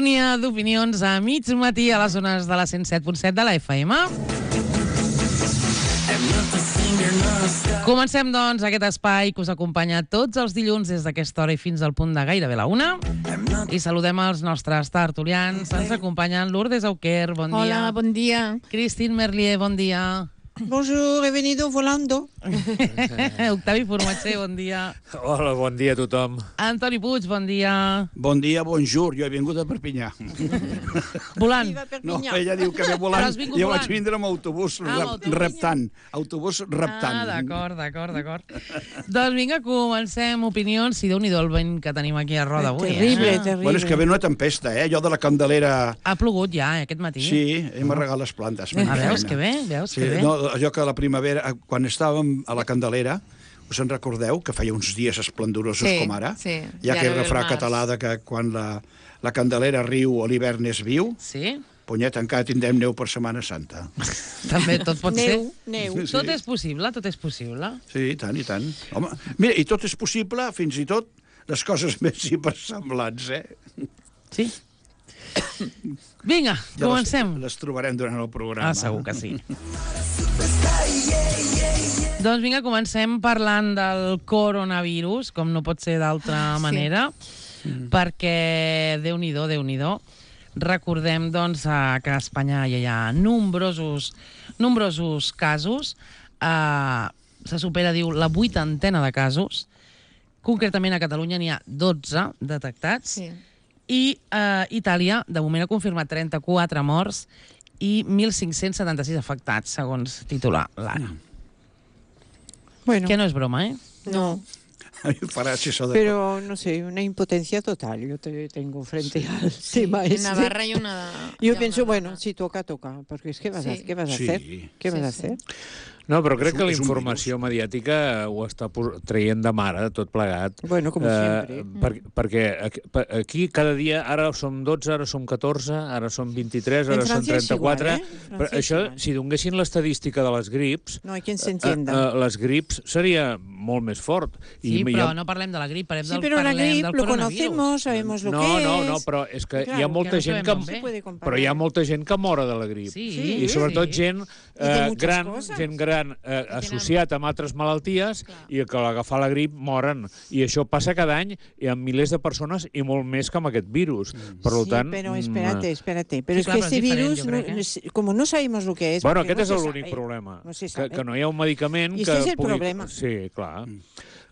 sintonia d'opinions a mig matí a les zones de la 107.7 de la FM. Comencem, doncs, aquest espai que us acompanya tots els dilluns des d'aquesta hora i fins al punt de gairebé la 1. I saludem els nostres tertulians. Ens acompanyen Lourdes Auquer, bon dia. Hola, bon dia. Christine Merlier, bon dia. Bonjour, he venido volando. Octavi Formatger, bon dia. Hola, bon dia a tothom. Antoni Puig, bon dia. Bon dia, bonjour. Jo he vingut a Perpinyà. Volant. No, ella diu que ve volant. Jo vaig vindre amb autobús reptant. Autobús reptant. D'acord. Doncs vinga, comencem opinions. Si Déu-n'hi-do el vent que tenim aquí a Roda avui. Terrible. Bueno, és que ve una tempesta, Allò de la Candelera... Ha plogut ja, aquest matí. Sí, hem arregat les plantes. Veus que bé? No, allò que a la primavera, quan estàvem a la Candelera, us en recordeu que feia uns dies esplendorosos com ara? Sí. Hi ha aquell refrà català de que quan la Candelera riu a l'hivern és viu. Sí. Punyet, encara tindrem neu per Setmana Santa. També tot pot ser. Neu. Sí. Tot és possible, tot és possible. Sí, i tant, i tant. Home, mira, i tot és possible, fins i tot les coses més hipersemblants, Sí. Vinga, comencem. Les trobarem durant el programa. Segur que sí. Doncs vinga, comencem parlant del coronavirus, com no pot ser d'altra manera, perquè Déu-n'hi-do. Recordem, doncs, que a Espanya ja hi ha nombrosos casos. Se supera, diu, la 80ena de casos. Concretament a Catalunya n'hi ha 12 detectats. Sí. I Itàlia, de moment, ha confirmat 34 morts i 1.576 afectats, segons titular l'Ara. Bueno, Que no és broma, no, A mi em farà si això de... pero no sé, una impotencia total yo tengo frente al tema En este. Navarra hay una... Yo pienso, bueno, si toca, porque es que vas a Sí. hacer? ¿Qué vas a hacer? No, però crec que la És un informació mediàtica ho està traient de mare, tot plegat. Bueno, como siempre. Perquè aquí cada dia, ara som 12, ara som 14, ara som 23, ara En som Francia és 34... igual, Però Francia és això, igual. si donguessin l'estadística de les grips, No hay quien se entienda. les grips seria molt més fort. Sí, però no parlem de la grip, parlem Sí, del pero la gripe lo coronavirus. conocemos, sabemos lo que es. No, però és que Claro, hi ha molta que no gent sabem que... ben bé. puede comparar. Però hi ha molta gent que mora de la grip. Sí, I sobretot sí. gent de muchas gran, cosas. gent gran associat amb altres malalties i que a l'agafar la grip moren. I això passa cada any i amb milers de persones i molt més que amb aquest virus. Per tant... Sí, pero espérate. Pero Sí, es claro, que este pero es diferente, virus, yo creo como no sabemos lo que es... Bueno, porque aquest és no se l'únic sabe, problema. No se sabe. Que no hi ha un medicament I que este és el pugui... problema. Sí, clar.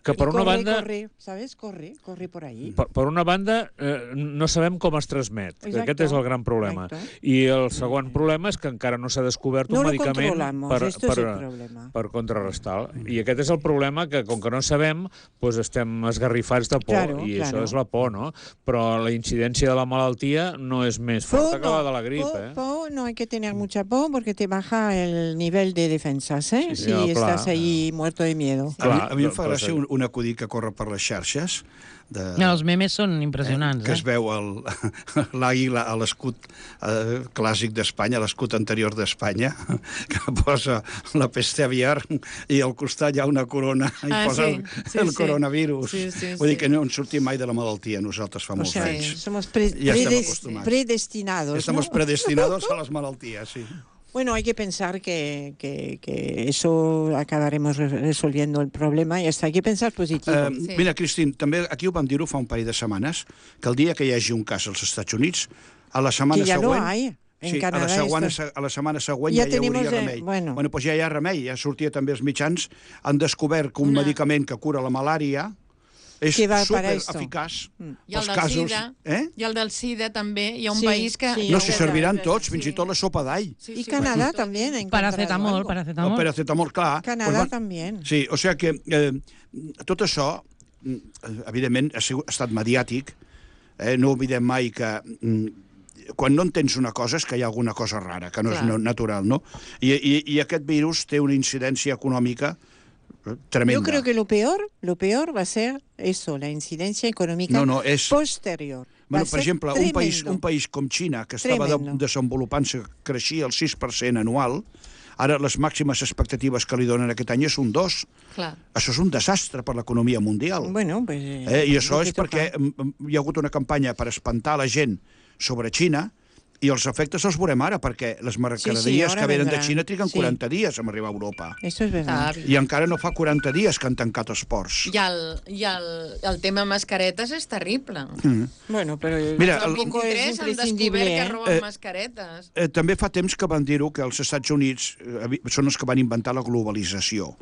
Que per Y una banda... ¿sabes? Corre por ahí. Per una banda, no sabem com es transmet. Exacto. Aquest és el gran problema. Exacto. I el segon problema és que encara no s'ha descobert No un lo medicament controlamos, esto es el problema. per contrarrestar. I aquest és el problema, que com que no sabem, doncs estem esgarrifats de por. Claro, I claro. això és la por, no? Però la incidència de la malaltia no és més forta que la de la grip, No hay que tener mucha po porque te baja el nivel de defensas, Sí, si no, clar. estás ahí muerto de miedo. A mi em fa gràcia un acudit que corre per les xarxes. Els memes són impressionants, Que es veu l'àguila a l'escut clàssic d'Espanya, l'escut anterior d'Espanya, que posa la peste aviar i al costat hi ha una corona i posa el coronavirus. Sí. Vull dir que no en sortim mai de la malaltia, nosaltres fa molts anys. Somos Ja estem acostumats. predestinados. Estamos ¿no? predestinados a las malalties, sí. Bueno, hay que pensar que eso acabaremos resolviendo el problema y hasta hay que pensar positivo. Mira, Cristín, també aquí ho vam dir-ho fa un parell de setmanes, que el dia que hi hagi un cas als Estats Units, a la setmana Que ja següent... lo hay. En Sí, Canadá a la setmana següent Ja ja hi tenemos, hauria remei. bueno. Doncs ja hi ha remei, ja sortia també els mitjans, han descobert que un medicament que cura la malària és Que va para supereficaç. I el del SIDA, i el del SIDA també, hi ha un Sí, país que... sí. No, si serviran tots, fins i tot la sopa d'all. Y Canadá también. ha encontrado Paracetamol, algo. El paracetamol, clar. Canadá Doncs, también. Sí, o sigui que tot això, evidentment, ha estat mediàtic. No oblidem mai que quan no entens una cosa és que hi ha alguna cosa rara, que no és natural, no? I aquest virus té una incidència econòmica tremenda. Yo creo que lo peor va a ser eso, la incidencia económica posterior. Bueno, per exemple, un país com Xina, que estava desenvolupant-se, creixia el 6% anual, ara les màximes expectatives que li donen aquest any és un 2%. Clar. Això és un desastre per l'economia mundial. Bueno, pues, I això és perquè hi ha hagut una campanya per espantar la gent sobre Xina, i els efectes els veurem ara, perquè les mercaderies que venen de Xina triguen 40 dies a arribar a Europa. Eso es verdad. I encara no fa 40 dies que han tancat els ports. I el tema mascaretes és terrible. Bueno, però mira, el 23 han descobert que roben mascaretes. També fa temps que van dir-ho, que els Estats Units són els que van inventar la globalització.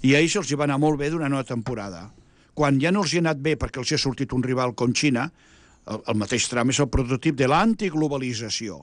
I a ells els hi va anar molt bé durant una temporada. Quan ja no els hi ha anat bé perquè els hi ha sortit un rival com Xina, el mateix Trump és el prototip de l'antiglobalització.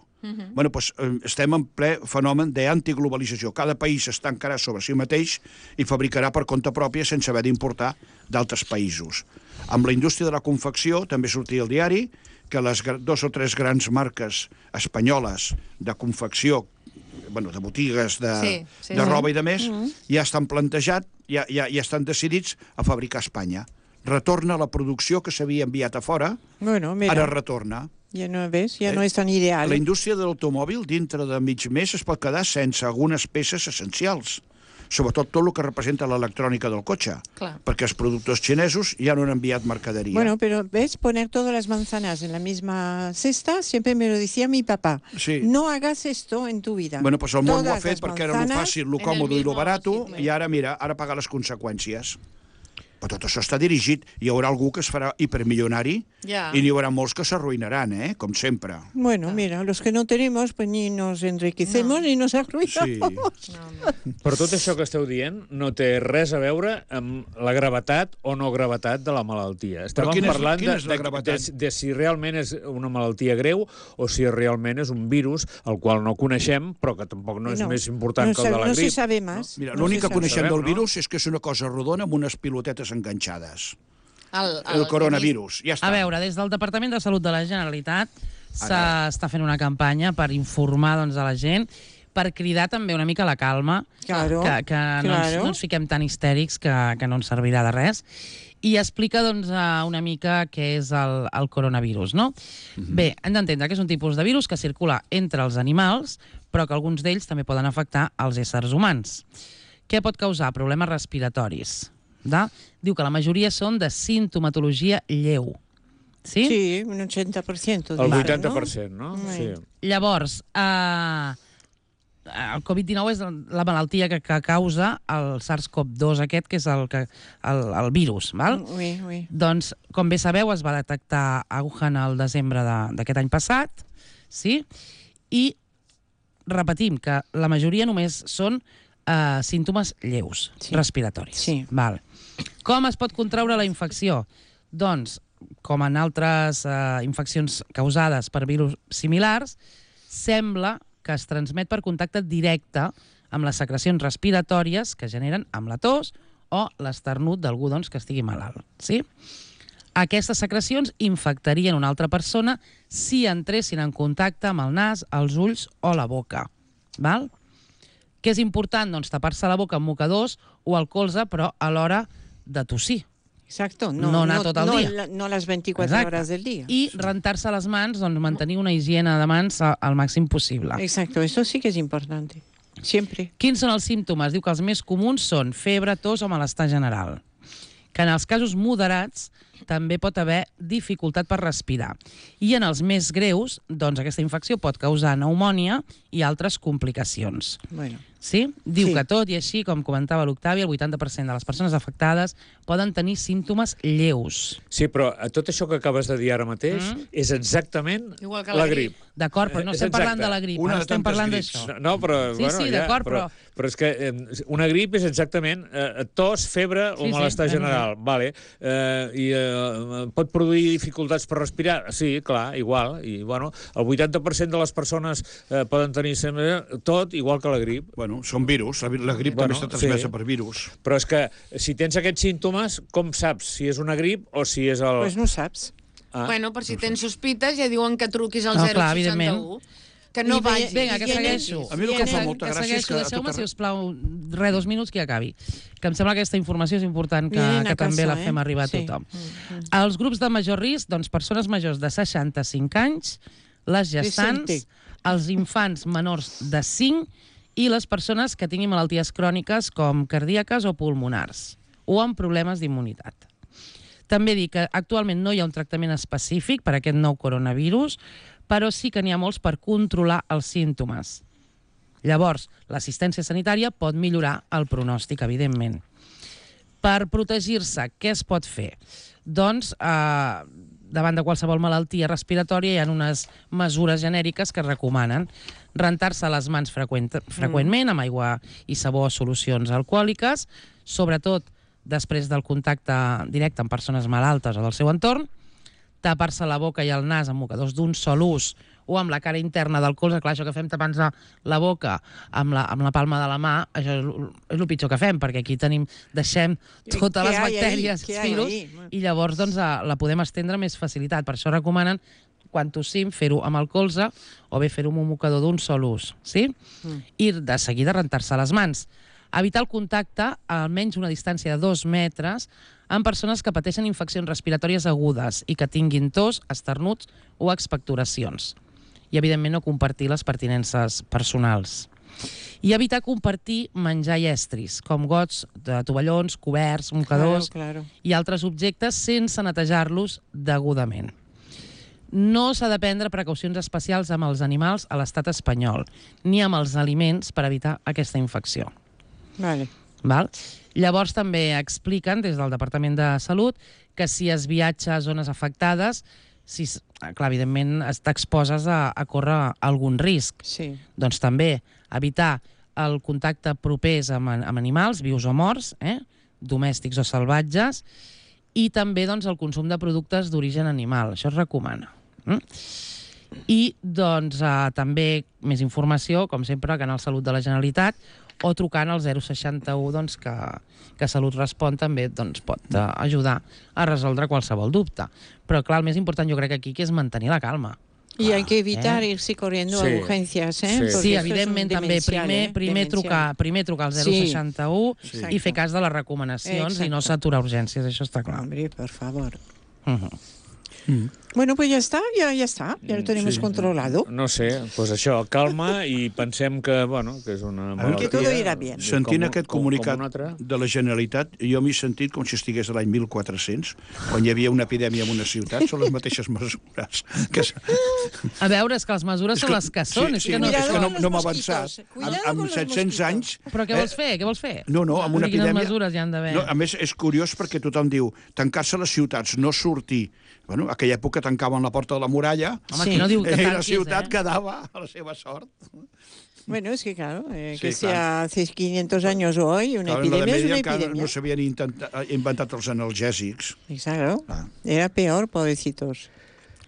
Bueno, doncs estem en ple fenomen d'antiglobalització. Cada país es tancarà sobre si mateix i fabricarà per compte pròpia sense haver d'importar d'altres països. Amb la indústria de la confecció també sortia al diari que les 2 o 3 grans marques espanyoles de confecció, de botigues de roba i de més, ja estan plantejats, ja estan decidits a fabricar a Espanya. Retorna la producció que s'havia enviat a fora, ara retorna. Ja no ves, ja no és tan ideal. La indústria de l'automòbil, dintre de mig mes, es pot quedar sense algunes peces essencials. Sobretot tot el que representa l'electrònica del cotxe. Perquè els productors xinesos ja no han enviat mercaderia. Bueno, pero ves, poner todas las manzanas en la misma cesta, siempre me lo decía mi papá. Sí. No hagas esto en tu vida. Bueno, pues el món ho ha fet perquè era lo fàcil, lo còmode i lo barato, i ara, mira, ara paga les conseqüències. Però tot això està dirigit. Hi haurà algú que es farà hipermilionari i n'hi haurà molts que s'arruïnaran, com sempre. Bueno, mira, los que no tenemos, pues ni nos enriquecemos ni nos arruinamos. Sí. Però tot això que esteu dient no té res a veure amb la gravetat o no gravetat de la malaltia. Estàvem parlant de si realment és una malaltia greu o si realment és un virus el qual no coneixem, però que tampoc no és més important que el de la grip. No se sabe más. Mira, l'únic que coneixem del virus és que és una cosa rodona amb unes pilotetes enganxades. El coronavirus, ja està. A veure, des del Departament de Salut de la Generalitat s'està fent una campanya per informar a la gent, per cridar també una mica la calma, que no ens fiquem tan histèrics que no ens servirà de res, i explica una mica què és el coronavirus, no? Bé, hem d'entendre que és un tipus de virus que circula entre els animals, però que alguns d'ells també poden afectar els éssers humans. Què pot causar? Problemes respiratoris. Diu que la majoria són de sintomatologia lleu. Sí? Sí, un 80%. El 80%, no? Sí. Llavors, el Covid-19 és la malaltia que causa el SARS-CoV-2 aquest, que és el virus, val? Doncs, com bé sabeu, es va detectar a Wuhan el desembre d'aquest any passat, sí? I repetim que la majoria només són símptomes lleus, respiratoris. Val. Com es pot contraure la infecció? Doncs, com en altres infeccions causades per virus similars, sembla que es transmet per contacte directe amb les secrecions respiratòries que generen amb la tos o l'esternut d'algú que estigui malalt. Aquestes secrecions infectarien una altra persona si entressin en contacte amb el nas, els ulls o la boca. Val? Què és important? Doncs tapar-se la boca amb mocadors o el colze, però a l'hora de tossir. Exacto. No anar tot el dia. No les 24 hores del dia. I rentar-se les mans, mantenir una higiene de mans al màxim possible. Exacto, eso sí que es importante. Siempre. Quins són els símptomes? Diu que els més comuns són febre, tos o malestar general. Que en els casos moderats també pot haver dificultat per respirar. I en els més greus, doncs aquesta infecció pot causar pneumònia i altres complicacions. Bueno. Sí? Diu que tot i així, com comentava l'Octavi, el 80% de les persones afectades poden tenir símptomes lleus. Sí, però tot això que acabes de dir ara mateix és exactament la grip. D'acord, però no estem parlant de la grip, ara estem parlant d'això. No, però... Sí, d'acord, però... Però és que una grip és exactament tos, febre o malestar general. Vale. I pot produir dificultats per respirar? Sí, clar, igual. I, bueno, el 80% de les persones poden tenir tot igual que la grip. Bueno, són virus. La grip també està transmesa per virus. Però és que si tens aquests símptomes, com saps si és una grip o si és el... Pues no saps. Bueno, per si tens sospites ja diuen que truquis al 061. Que no vagi. Vinga, que segueixo. A mi el que fa molta gràcia és que... Deixeu-me, si us plau, 2 minuts que ja acabi. Que em sembla que aquesta informació és important que també la fem arribar a tothom. Els grups de major risc, doncs persones majors de 65 anys, les gestants, els infants menors de 5 i les persones que tinguin malalties cròniques com cardíaques o pulmonars o amb problemes d'immunitat. També dic que actualment no hi ha un tractament específic per a aquest nou coronavirus, però sí que n'hi ha molts per controlar els símptomes. Llavors, l'assistència sanitària pot millorar el pronòstic, evidentment. Per protegir-se, què es pot fer? Doncs, davant de qualsevol malaltia respiratòria hi ha unes mesures genèriques que es recomanen. Rentar-se les mans freqüentment amb aigua i sabó o solucions alcohòliques, sobretot després del contacte directe amb persones malaltes o del seu entorn, tapar-se la boca i el nas amb mocadors d'un sol ús o amb la cara interna del colze. Clar, això que fem tapant-se la boca amb la palma de la mà, això és el pitjor que fem, perquè aquí deixem totes les bactèries, virus, i llavors la podem estendre amb més facilitat. Per això recomanen, quan tossim, fer-ho amb el colze o bé fer-ho amb un mocador d'un sol ús. I de seguida rentar-se les mans. Evitar el contacte a almenys una distància de 2 metres amb persones que pateixen infeccions respiratòries agudes i que tinguin tos, esternuts o expectoracions. I, evidentment, no compartir les pertinences personals. I evitar compartir menjar i estris, com gots de tovallons, coberts, mocadors i altres objectes sense netejar-los degudament. No s'ha de prendre precaucions especials amb els animals a l'estat espanyol, ni amb els aliments per evitar aquesta infecció. Llavors també expliquen des del Departament de Salut que si es viatja a zones afectades, clar, evidentment t'exposes a córrer algun risc. Doncs també evitar el contacte propers amb animals, vius o morts, domèstics o salvatges, i també el consum de productes d'origen animal. Això es recomana. I també més informació, com sempre, al Canal Salut de la Generalitat, o trucant al 061, que Salut Respon també pot ajudar a resoldre qualsevol dubte. Però, clar, el més important jo crec aquí és mantenir la calma. Y hay que evitar irse corriendo a urgencias, Sí, evidentment, també. Primer trucar al 061 i fer cas de les recomanacions i no saturar urgències, això està clar. Hombre, por favor. Bueno, pues ya está, ya lo tenemos controlado. No sé, pues això, calma i pensem que és una malaltia. Que todo irà bien. Sentint aquest comunicat de la Generalitat, jo m'he sentit com si estigués a l'any 1400, quan hi havia una epidèmia en una ciutat, són les mateixes mesures. A veure, és que les mesures són les que són. Sí, és que no m'ha avançat. Amb 700 anys... Però què vols fer? Què vols fer? No, amb una epidèmia... Quines mesures hi han d'haver? A més, és curiós perquè tothom diu tancar-se les ciutats, no sortir. Bueno, a aquella època tancaven la porta de la muralla i la ciutat quedava a la seva sort. Bueno, es que claro, que sea hace 500 años o hoy, una epidemia es una epidemia. No s'havien inventat els analgèsics. Claro, era peor, pobrecitos.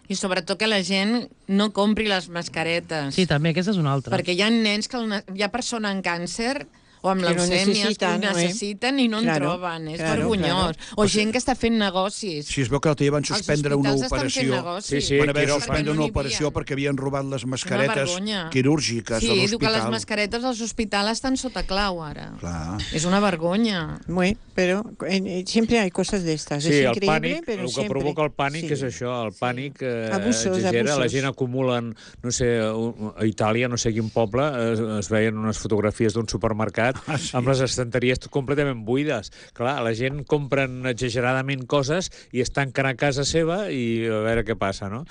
I sobretot que la gent no compri les mascaretes. Sí, també, aquesta és una altra. Perquè hi ha nens hi ha persones amb càncer o amb leucèmies que ho necessiten i no en troben. És vergonyós. O gent que està fent negocis. Si es veu que l'altre dia van suspendre una operació. Van haver de suspendre una operació perquè havien robat les mascaretes quirúrgiques de l'hospital. Sí, diu que les mascaretes als hospitals estan sota clau ara. És una vergonya. Però siempre hay cosas de estas. Sí, el pànic, el que provoca el pànic és això, el pànic exagera, la gent acumula, no sé, a Itàlia, no sé quin poble, es veien unes fotografies d'un supermercat amb les estanteries completament buides. Clar, la gent compren exageradament coses i es tanquen a casa seva i a veure què passa, no?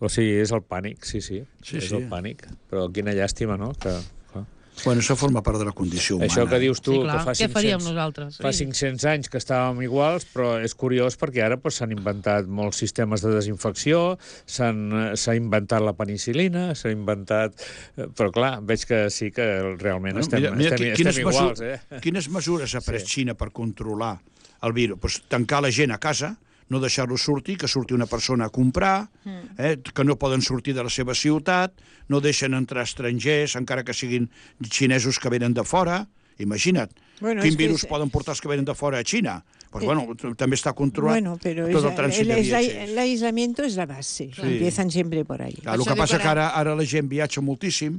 O sigui, és el pànic, sí, és el pànic. Però quina llàstima, no? Bueno, això forma part de la condició humana. Això que dius tu, que fa 500 anys que estàvem iguals, però és curiós perquè ara s'han inventat molts sistemes de desinfecció, s'ha inventat la penicil·lina, s'ha inventat... Però clar, veig que sí que realment estem iguals. Quines mesures ha pres Xina per controlar el virus? Tancar la gent a casa, no deixar-lo sortir, que surti una persona a comprar, que no poden sortir de la seva ciutat, no deixen entrar estrangers, encara que siguin xinesos que venen de fora. Imagina't, quin virus poden portar els que venen de fora a Xina? Pues també està controlat tot el trànsit de viatgers. El aislamiento es la base, empiezan siempre por ahí. El que passa que ara la gent viatja moltíssim,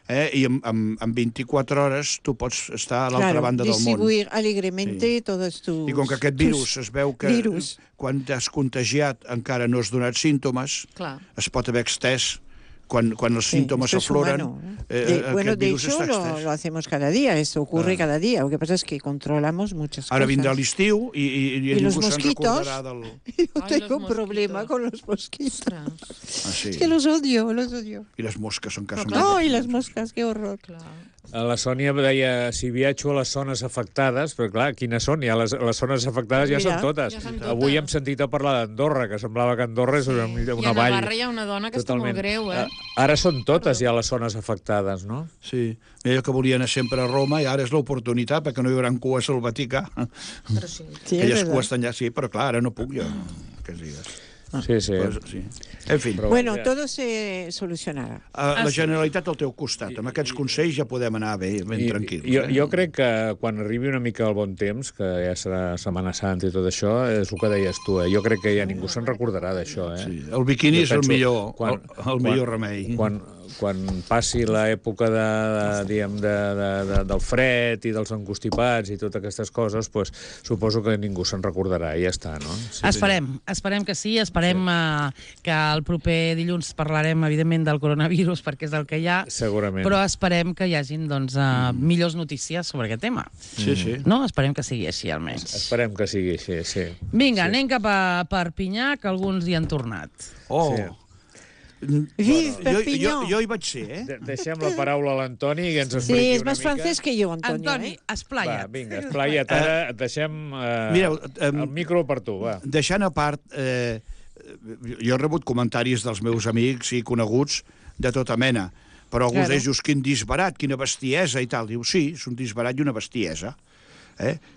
i en 24 hores tu pots estar a l'altra banda del món. Distribuir alegremente todos tus... I com que aquest virus es veu que quan t'has contagiat encara no has donat símptomes, es pot haver extès quan els síntomas afloren, bueno, de hecho, lo hacemos cada día, esto ocurre cada día. Lo que pasa es que controlamos muchas cosas. Ara vindrà l'estiu i ningú se'n recordarà del... Yo tengo un problema con los mosquitos. Sí. Es que los odio, los odio. I les mosques són casa meva. No, i les mosques, qué horror. La Sònia deia, si viatjo a les zones afectades, però clar, quines són? Ja les zones afectades ja són totes. Avui hem sentit a parlar d'Andorra, que semblava que Andorra és una vall. I a Navarra hi ha una dona que està molt greu, Ara són totes ja les zones afectades, no? Sí, jo que volia anar sempre a Roma i ara és l'oportunitat perquè no hi haurà cues al Vaticà. Però sí. Aquelles cues estan allà, sí, però clar, ara no puc jo, aquests dies. Sí, sí. Pues, sí. En fin. Bueno, todo se solucionarà. La Generalitat al teu costat. Amb aquests consells ja podem anar ben tranquils. Jo crec que quan arribi una mica el bon temps, que ja serà Setmana Santa i tot això, és el que deies tu. Jo crec que ja ningú se'n recordarà d'això. Sí, el biquini és el millor remei. Quan passi l'època del fred i dels encostipats i totes aquestes coses, pues, suposo que ningú se'n recordarà i ja està, no? Sí, esperem que sí, esperem que el proper dilluns parlarem, evidentment, del coronavirus, perquè és el que hi ha. Segurament. Però esperem que hi hagin millors notícies sobre aquest tema. Sí, sí. No? Esperem que sigui així, almenys. Esperem que sigui així, sí. Vinga, anem cap a Perpinyà, que alguns hi han tornat. Oh! Sí. Jo hi vaig ser, Deixem la paraula a l'Antoni i ens expliqui una mica. Sí, és més francès que jo, Antonio. Antoni, esplaia't. Va, vinga, esplaia't. Ara et deixem el micro per tu, va. Deixant a part, jo he rebut comentaris dels meus amics i coneguts de tota mena, però alguns d'ells, quin disbarat, quina bestiesa i tal. Diu, sí, és un disbarat i una bestiesa.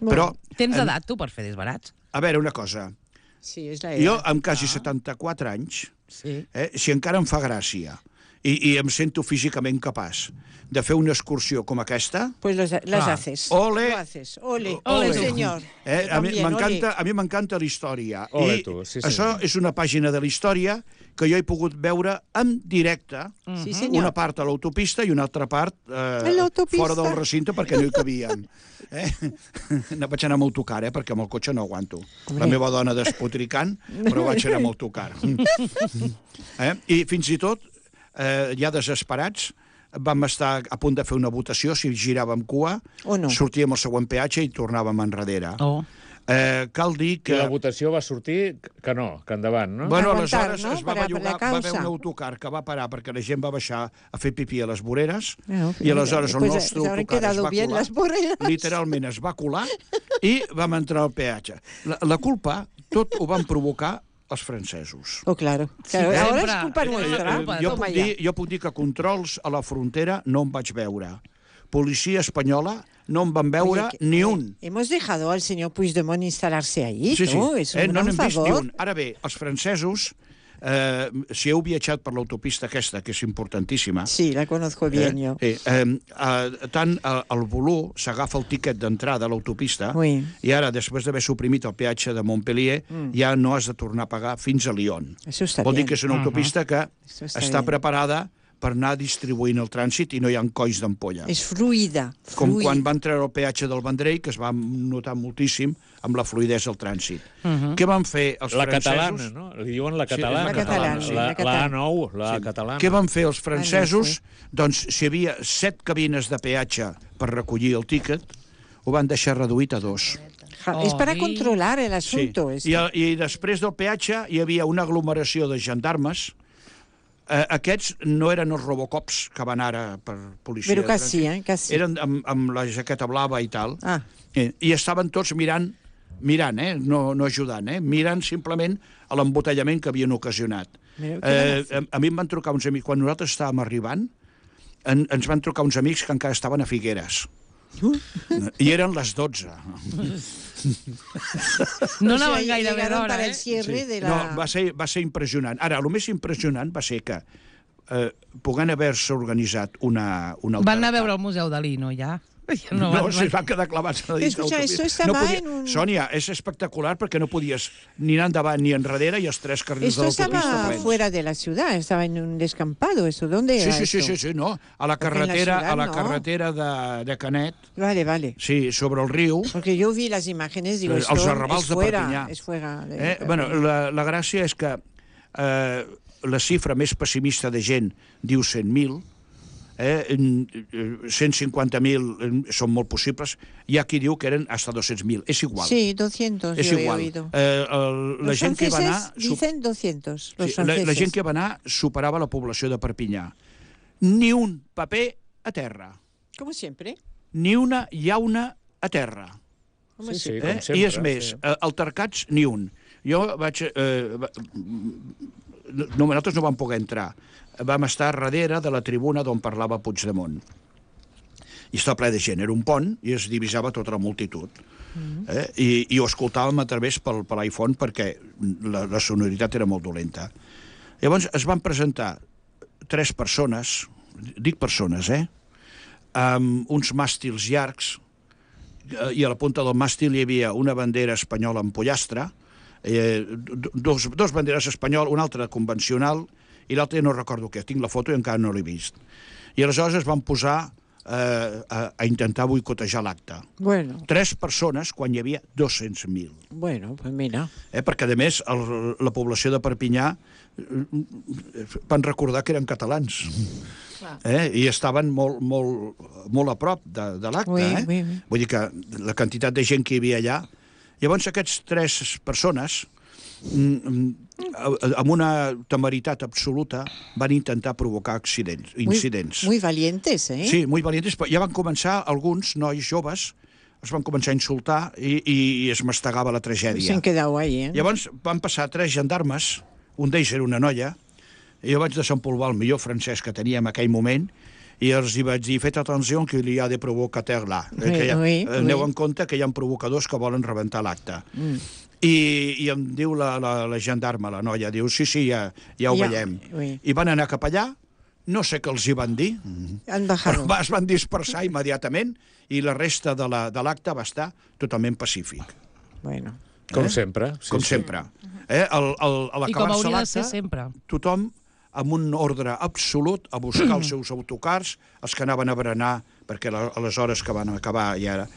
Però tens edat, tu, per fer disbarats? A veure, una cosa. Sí, és la jo, amb quasi 74 anys, si encara em fa gràcia i em sento físicament capaç de fer una excursió com aquesta... Pues las haces. Ole! Ole, senyor. A mi m'encanta la història. Ole, tu, sí, això és una pàgina de la història que jo he pogut veure en directe, una part a l'autopista i una altra part fora del recinte perquè no hi cabien. Vaig anar amb autocar, perquè amb el cotxe no aguanto. La meva dona despotricant, però vaig anar amb autocar. I fins i tot, ja desesperats, vam estar a punt de fer una votació, si giràvem cua, sortíem al següent peatge i tornàvem enrere. Cal dir que... I la votació va sortir que no, que endavant, no? Bueno, aleshores es va bellugar, va haver un autocar que va parar perquè la gent va baixar a fer pipí a les voreres i aleshores el nostre autocar es va colar, literalment es va colar i vam entrar al peatge. La culpa, tot ho van provocar els francesos. Oh, claro. Ara és culpa nostra. Jo puc dir que controls a la frontera no em vaig veure. Policia espanyola no en van veure ni un. Hemos dejado al señor Puigdemont instalar-se ahí, sí, ¿no? És un no n'hem vist ni un. favor. Ara bé, els francesos, si heu viatjat per l'autopista aquesta, que és importantíssima... Sí, la conozco bien yo. Tant el Voló s'agafa el tiquet d'entrada a l'autopista i ara, després d'haver suprimit el peatge de Montpellier, ja no has de tornar a pagar fins a Lyon. Vol dir que és una autopista que està preparada per anar distribuint el trànsit i no hi ha colls d'ampolla. És fluida. Com quan van treure el peatge del Vendrell, que es va notar moltíssim amb la fluïdesa del trànsit. Què van fer els francesos? La catalana, no? Li diuen la catalana. La A9, la catalana. Què van fer els francesos? Doncs si hi havia 7 cabines de peatge per recollir el tíquet, ho van deixar reduït a 2. És per controlar l'assumpte. I després del peatge hi havia una aglomeració de gendarmes. Aquests no eren els Robocops que van ara per policia. Però quasi, quasi. Eren amb la jaqueta blava i tal. I estaven tots mirant, no ajudant, mirant simplement l'embotellament que havien ocasionat. A mi em van trucar uns amics, quan nosaltres estàvem arribant, ens van trucar uns amics que encara estaven a Figueres. I eren les 12. No anaven gaire bé d'hora, No, va ser impressionant. Ara, el més impressionant va ser que podent haver-se organitzat una alternativa... Van anar a veure el Museu Dalí, no, ja? No, es van quedar clavats a dins l'autopista. Sònia, és espectacular perquè no podies ni anar endavant ni enrere i els 3 carrils de l'autopista plens. Esto estaba fuera de la ciudad, estaba en un descampado. ¿Dónde era esto? Sí, no. A la carretera de Canet. Vale. Sí, sobre el riu. Porque yo vi las imágenes, digo, els arrabals de Perpinyà. Es fuera. Bueno, la gràcia és que la xifra més pessimista de gent diu 100.000, 150.000 són molt possibles. Hi ha qui diu que eren hasta 200.000. És igual. Sí, 200, és yo igual. he oído. La gent que va anar... dicen 200, los sí, franceses. la gent que va anar superava la població de Perpinyà. Ni un paper a terra. Como siempre. Ni una llauna a terra. Sí, sí, com sempre. I és més, altercats ni un. Jo vaig... nosaltres no vam poder entrar. Vam estar darrere de la tribuna d'on parlava Puigdemont. I estava ple de gent. Era un pont i es divisava tota la multitud. I ho escoltàvem a través per l'iPhone perquè la sonoritat era molt dolenta. Llavors es van presentar 3 persones, dic persones, amb uns màstils llargs, i a la punta del màstil hi havia una bandera espanyola amb pollastre, dos banderes espanyoles, una altra convencional, i l'altre no recordo què, tinc la foto i encara no l'he vist. I aleshores es van posar a intentar boicotejar l'acte. Bueno. 3 persones quan hi havia 200.000. Bueno, pues mira. Perquè, a més, la població de Perpinyà van recordar que eren catalans. I estaven molt a prop de l'acte. Vull dir que la quantitat de gent que hi havia allà... Llavors, aquests 3 persones, amb una temeritat absoluta, van intentar provocar incidents. Muy valientes, ¿eh? Sí, muy valientes. Ja van començar, alguns nois joves, es van començar a insultar i es mastegava la tragèdia. S'han quedat ahí, ¿eh? Llavors van passar 3 gendarmes, un d'ells era una noia, i jo vaig desempolvar el millor francès que tenia en aquell moment, i els hi vaig dir, faites atenció que hi ha de provocateur là. Aneu en compte que hi ha provocadors que volen rebentar l'acte. I em diu la gendarma, la noia, diu, sí, ja ho veiem. I van anar cap allà, no sé què els hi van dir, però es van dispersar immediatament i la resta de l'acte va estar totalment pacífic. Com sempre. Com sempre. I com hauria de ser sempre. Tothom amb un ordre absolut a buscar els seus autocars, els que anaven a berenar, perquè a les hores que van acabar ja era...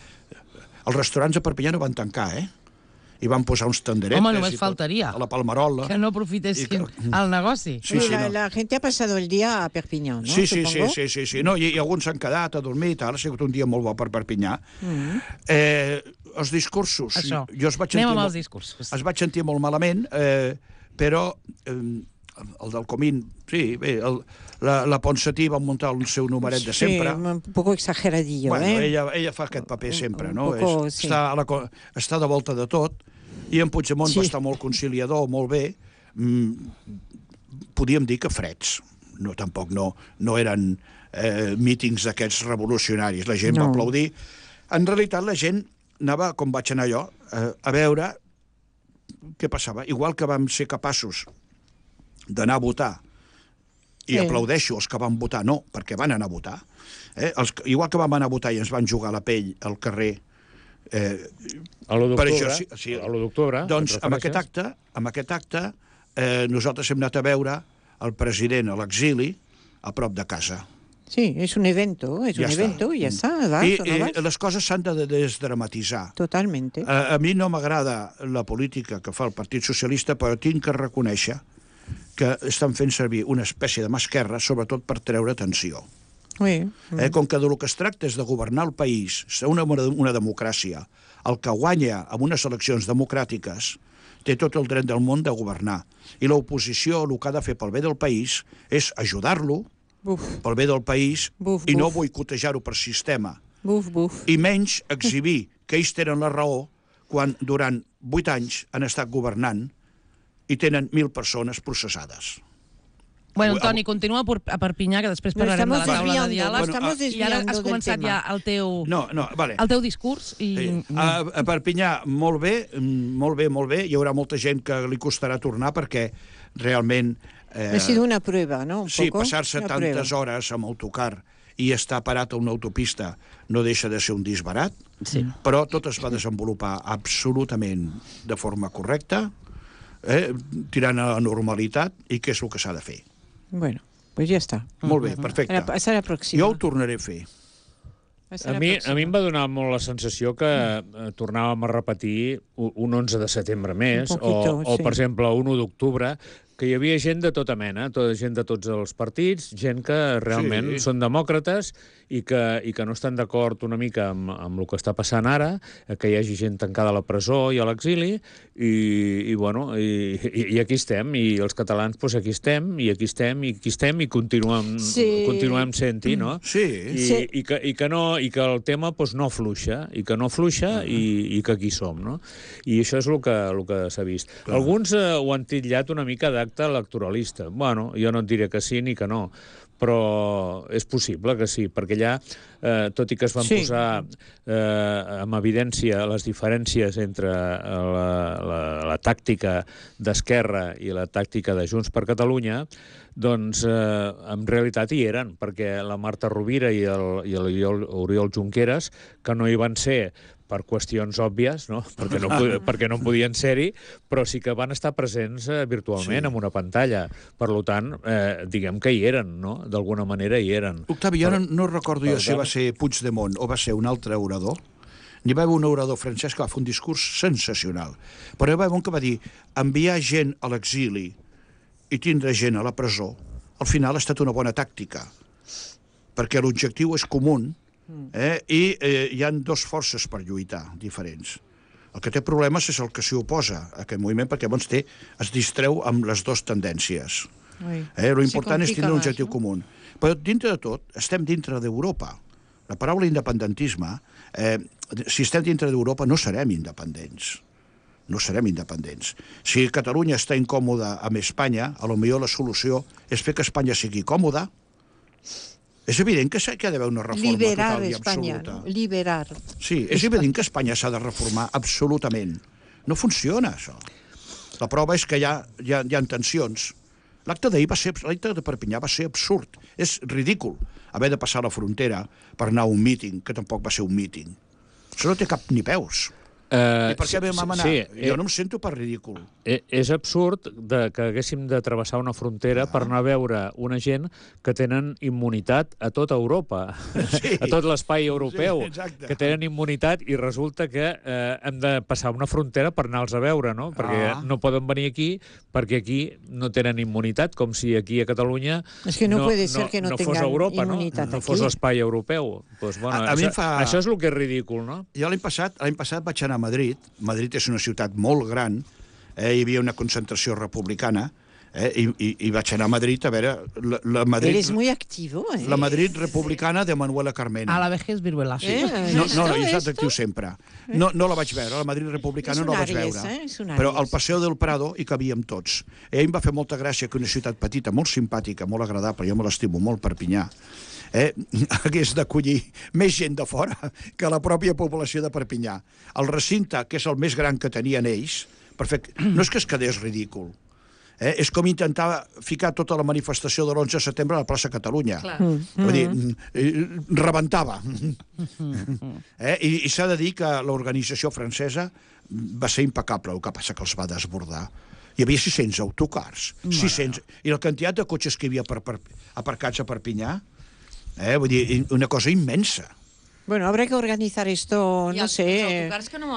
Els restaurants a Perpinyà no van tancar, I van posar uns tenderetes... Home, només faltaria. A la Palmerola. Que no aprofitessin el negoci. La gente ha pasado el día a Perpinyà, ¿no? Sí. No, i alguns s'han quedat a dormir i tal. Ha sigut un dia molt bo per Perpinyà. Els discursos... Això. Anem amb els discursos. Es vaig sentir molt malament, però... el del Comín, sí, bé, la Ponsatí va muntar el seu numeret de sempre. Sí, un poco exageradillo, Bueno, ella fa aquest paper sempre, no? Està de volta de tot, i en Puigdemont va estar molt conciliador, molt bé. Podíem dir que freds. Tampoc no eren mítings d'aquests revolucionaris. La gent va aplaudir. En realitat, la gent anava, com vaig anar jo, a veure què passava. Igual que vam ser capaços d'anar a votar, i aplaudeixo els que van votar, no, perquè van anar a votar. Igual que vam anar a votar i ens van jugar la pell al carrer... A l'1 d'octubre. Doncs amb aquest acte nosaltres hem anat a veure el president a l'exili a prop de casa. Sí, és un evento, i ja està. I les coses s'han de desdramatitzar. Totalmente. A mi no m'agrada la política que fa el Partit Socialista, però tinc que reconèixer que estan fent servir una espècie de mà esquerra, sobretot per treure tensió. Com que del que es tracta és de governar el país, ser una democràcia, el que guanya amb unes eleccions democràtiques té tot el dret del món de governar. I l'oposició el que ha de fer pel bé del país és ajudar-lo, pel bé del país, i no boicotejar-ho per sistema. I menys exhibir que ells tenen la raó quan durant 8 anys han estat governant i tenen 1.000 persones processades. Bueno, Toni, continua a Perpinyà, que després parlarem de la taula de diàleg. I ara has començat ja el teu discurs. A Perpinyà, molt bé. Hi haurà molta gent que li costarà tornar perquè realment... Ha sido una prueba, ¿no? Sí, passar-se tantes hores amb autocar i estar parat a una autopista no deixa de ser un disbarat, però tot es va desenvolupar absolutament de forma correcta, tirant a la normalitat, i què és el que s'ha de fer. Bueno, pues ya está. Molt bé, perfecte. Serà la pròxima. Jo ho tornaré a fer. A mi em va donar molt la sensació que tornàvem a repetir un 11 de setembre més, o per exemple, un 1 d'octubre, que hi havia gent de tota mena, gent de tots els partits, gent que realment són demòcrates i que no estan d'acord una mica amb el que està passant ara, que hi hagi gent tancada a la presó i a l'exili, i aquí estem, i els catalans aquí estem, i continuem sent-hi, no? Sí. I que el tema no afluixa, i que aquí som, no? I això és el que s'ha vist. Alguns ho han titllat una mica d'acte electoralista. Bueno, jo no et diré que sí ni que no, però és possible que sí, perquè allà, tot i que es van posar en evidència les diferències entre la tàctica d'Esquerra i la tàctica de Junts per Catalunya, doncs en realitat hi eren, perquè la Marta Rovira i l'Oriol Junqueras, que no hi van ser per qüestions òbvies, no? perquè no podien ser-hi, però sí que van estar presents virtualment en una pantalla. Per tant, diguem que hi eren, no? D'alguna manera hi eren. Octavi, jo no recordo si va ser Puigdemont o va ser un altre orador. N'hi va haver un orador francès que va fer un discurs sensacional. Però hi va haver un que va dir enviar gent a l'exili i tindre gent a la presó, al final ha estat una bona tàctica, perquè l'objectiu és comú, i hi ha dues forces per lluitar diferents. El que té problemes és el que s'hi oposa a aquest moviment, perquè llavors es distreu amb les dues tendències. L'important és tenir un objectiu comú. Però dintre de tot, estem dintre d'Europa. La paraula independentisme, si estem dintre d'Europa no serem independents. No serem independents. Si Catalunya està incòmoda amb Espanya, potser la solució és fer que Espanya sigui còmoda. És evident que hi ha d'haver una reforma total i absoluta. Liberar. Sí, és evident que Espanya s'ha de reformar absolutament. No funciona, això. La prova és que hi ha tensions. L'acte de Perpinyà va ser absurd. És ridícul haver de passar la frontera per anar a un míting, que tampoc va ser un míting. Això no té cap ni peus. I per què vam anar? Jo no em sento per ridícul. És absurd que haguéssim de travessar una frontera per anar a veure una gent que tenen immunitat a tota Europa, a tot l'espai europeu, que tenen immunitat i resulta que hem de passar una frontera per anar-los a veure, no? Perquè no poden venir aquí perquè aquí no tenen immunitat, com si aquí a Catalunya no fos Europa, no fos l'espai europeu. Això és el que és ridícul, no? Jo l'any passat vaig anar a Madrid. Madrid és una ciutat molt gran, hi havia una concentració republicana, i vaig anar a Madrid a veure la Madrid... Eres muy activo, La Madrid republicana de Manuela Carmena. A la vejez viruela. No, jo soc actiu sempre. No la vaig veure, la Madrid republicana no la vaig veure. Però al Paseo del Prado hi cabíem tots. A ell em va fer molta gràcia que una ciutat petita, molt simpàtica, molt agradable, jo me l'estimo molt, Perpinyà, hagués d'acollir més gent de fora que la pròpia població de Perpinyà. El recinte, que és el més gran que tenien ells, no és que es quedés ridícul, és com intentar ficar tota la manifestació de l'11 de setembre a la plaça Catalunya. Vull dir, rebentava. I s'ha de dir que l'organització francesa va ser impecable, el que passa que els va desbordar. Hi havia 600 autocars, 600, i la quantitat de cotxes que hi havia aparcats a Perpinyà, vull dir, una cosa immensa. Bueno, habrá que organizar esto, no sé,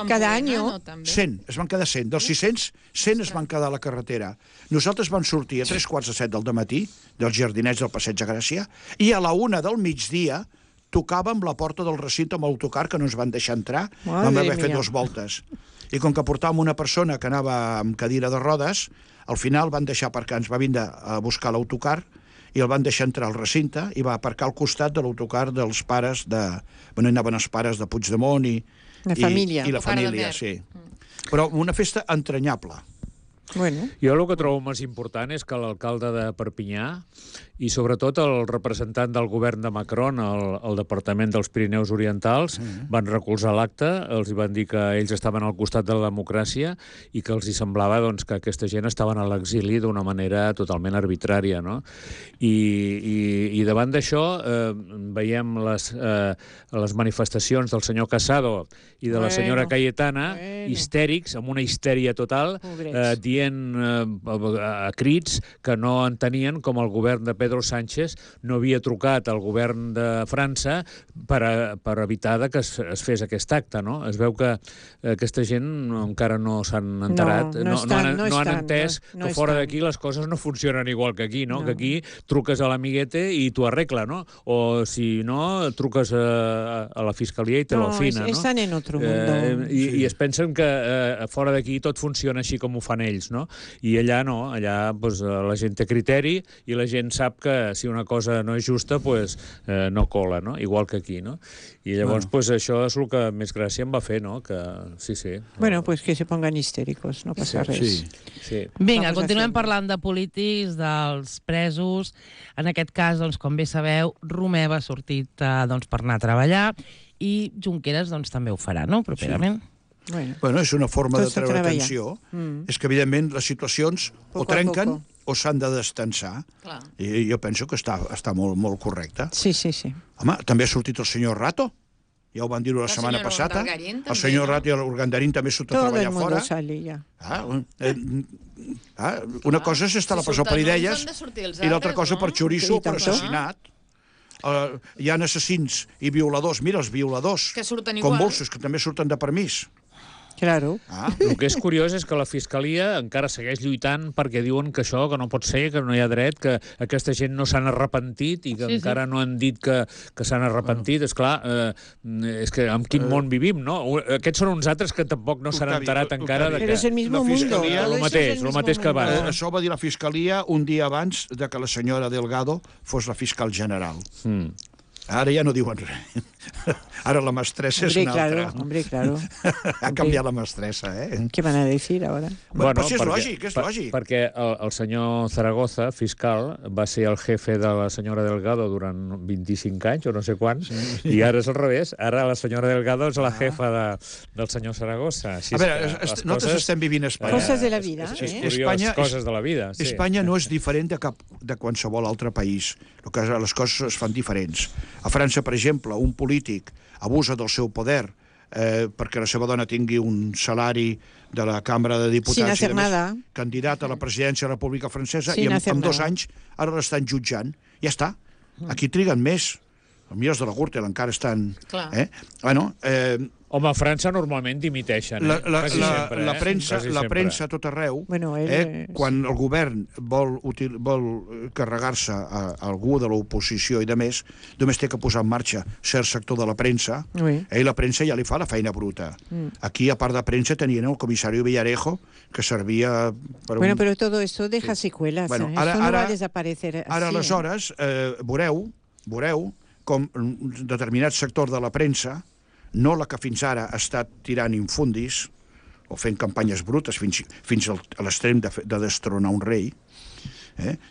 cada año. 100, es van quedar 100. Dels 600, 100 es van quedar a la carretera. Nosaltres vam sortir a 3:45 del dematí, dels jardinets del Passeig de Gràcia, i a la 1 del migdia tocàvem la porta del recinte amb l'autocar, que no ens van deixar entrar, vam haver fet 2 voltes. I com que portàvem una persona que anava amb cadira de rodes, al final van deixar aparcar, ens va vindre a buscar l'autocar, i el van deixar entrar al recinte i va aparcar al costat de l'autocar dels pares de... Bueno, anaven els pares de Puigdemont i la família. I la família, sí. Però una festa entranyable. Bueno. Jo el que trobo més important és que l'alcalde de Perpinyà i sobretot el representant del govern de Macron al Departament dels Pirineus Orientals van recolzar l'acte, els van dir que ells estaven al costat de la democràcia i que els hi semblava que aquesta gent estaven a l'exili d'una manera totalment arbitrària, no? I davant d'això veiem les manifestacions del senyor Casado i de la senyora Cayetana histèrics, amb una histèria total, dient a crits que no entenien com el govern de Pedro Sánchez no havia trucat al govern de França per evitar que es fes aquest acte, no? Es veu que aquesta gent encara no s'han enterat, no han entès que fora d'aquí les coses no funcionen igual que aquí, no? Que aquí truques a l'amiguete i t'ho arregla, no? O si no, truques a la fiscalia i te l'afina, no? Estan en otro mundo. I es pensen que fora d'aquí tot funciona així com ho fan ells, no? I allà no, allà la gent té criteri i la gent sap que si una cosa no és justa, no cola, no? Igual que aquí, no? I llavors això és el que més gràcia em va fer, no? Que sí. Bueno, pues que se pongan histéricos, no passa res. Vinga, continuem parlant de polítics, dels presos. En aquest cas, com bé sabeu, Romeva ha sortit per anar a treballar i Junqueras també ho farà, no?, properament. Bueno, és una forma de treure tensió. És que, evidentment, les situacions o trenquen o s'han de destensar. I jo penso que està molt correcte. Sí. Home, també ha sortit el senyor Rato. Ja ho van dir la setmana passada. El senyor Rato i l'Urgandarín també surt a treballar fora. Una cosa és estar a la presó per idees i l'altra cosa per xoriço o per assassinat. Hi ha assassins i violadors. Mira, els violadors, com bolsos, que també surten de permís. Claro. El que és curiós és que la Fiscalia encara segueix lluitant perquè diuen que això, que no pot ser, que no hi ha dret, que aquesta gent no s'han arrepentit i que encara no han dit que s'han arrepentit. Esclar, és que en quin món vivim, no? Aquests són uns altres que tampoc no s'han enterat encara de que... Però és el mismo mundo. El mateix que abans. Això ho va dir la Fiscalia un dia abans de que la senyora Delgado fos la fiscal general. Ara ja no diuen res. Ara la mestressa és una altra. Hombre, claro. Ha canviat la mestressa, ¿Qué van a decir ahora? Bueno, és lògic, és lògic. Perquè el senyor Zaragoza, fiscal, va ser el jefe de la senyora Delgado durant 25 anys, o no sé quants, i ara és al revés. Ara la senyora Delgado és la jefa del senyor Zaragoza. A veure, nosaltres estem vivint a Espanya. Coses de la vida. Coses de la vida, sí. Espanya no és diferent de qualsevol altre país. Les coses es fan diferents. A França, per exemple, un polític abusa del seu poder perquè la seva dona tingui un salari de la Cambra de Diputats i candidat a la presidència de la República Francesa i en 2 anys ara l'estan jutjant. Ja està. Aquí triguen més. Els millors de la Gürtel encara estan... Home, a França normalment dimiteixen. La premsa a tot arreu, quan el govern vol carregar-se a algú de l'oposició i de més, només té que posar en marxa cert sector de la premsa, i la premsa ja li fa la feina bruta. Aquí, a part de premsa, tenien el comissari Villarejo, que servia per un... Bueno, pero todo eso deja secuelas. Eso no va a desaparecer así. Ara, aleshores, veureu com determinat sector de la premsa, no la que fins ara ha estat tirant infundis o fent campanyes brutes fins a l'extrem de destronar un rei,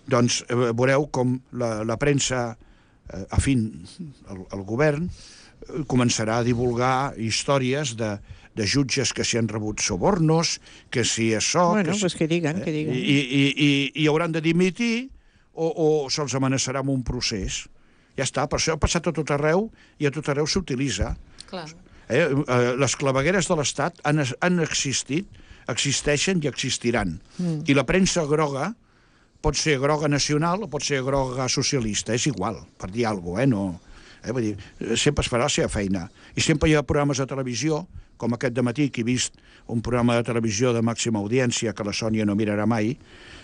doncs veureu com la premsa afín al govern començarà a divulgar històries de jutges que s'hi han rebut sobornos, que si això... Bueno, pues que digan. I hauran de dimitir o se'ls amenaçarà amb un procés. Ja està, per això ha passat a tot arreu i a tot arreu s'utilitza. Les clavegueres de l'Estat han existit, existeixen i existiran. I la premsa groga pot ser groga nacional o pot ser groga socialista, és igual, per dir alguna cosa, Vull dir, sempre es farà la seva feina. I sempre hi ha programes de televisió, com aquest dematí, que he vist un programa de televisió de màxima audiència que la Sònia no mirarà mai,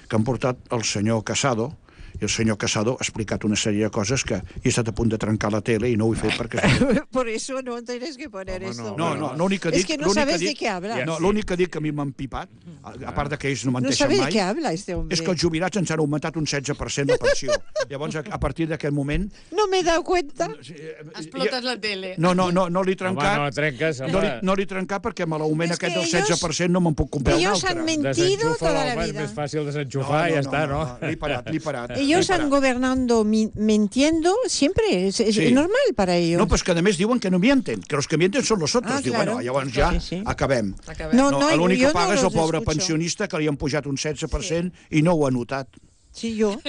que han portat el senyor Casado, i el senyor Casado ha explicat una sèrie de coses que he estat a punt de trencar la tele i no ho he fet perquè... Por eso no tienes que poner esto. No, l'únic que dic... Es que no sabes de què habla. No, l'únic que dic que a mi m'han pipat, a part que ells no menteixen mai... No sabes de què habla, este hombre. És que els jubilats ens han augmentat un 16% de pensió. Llavors, a partir d'aquest moment... No m'he dado cuenta. Explotes la tele. No l'he trencat. Home, no trenques, home. No l'he trencat perquè amb l'augment aquest del 16% no me'n puc comprar un altre. Ellos han mentido toda la vida. És més fàcil desenxufar i ja està, no? L'he parat. Ellos han gobernado mintiendo siempre, es normal para ellos. No, pues que además diuen que no mienten, que los que mienten son los otros. Diu, bueno, llavors ja acabem. L'únic que paga és el pobre pensionista que li han pujat un 16% i no ho ha notat. Sí, yo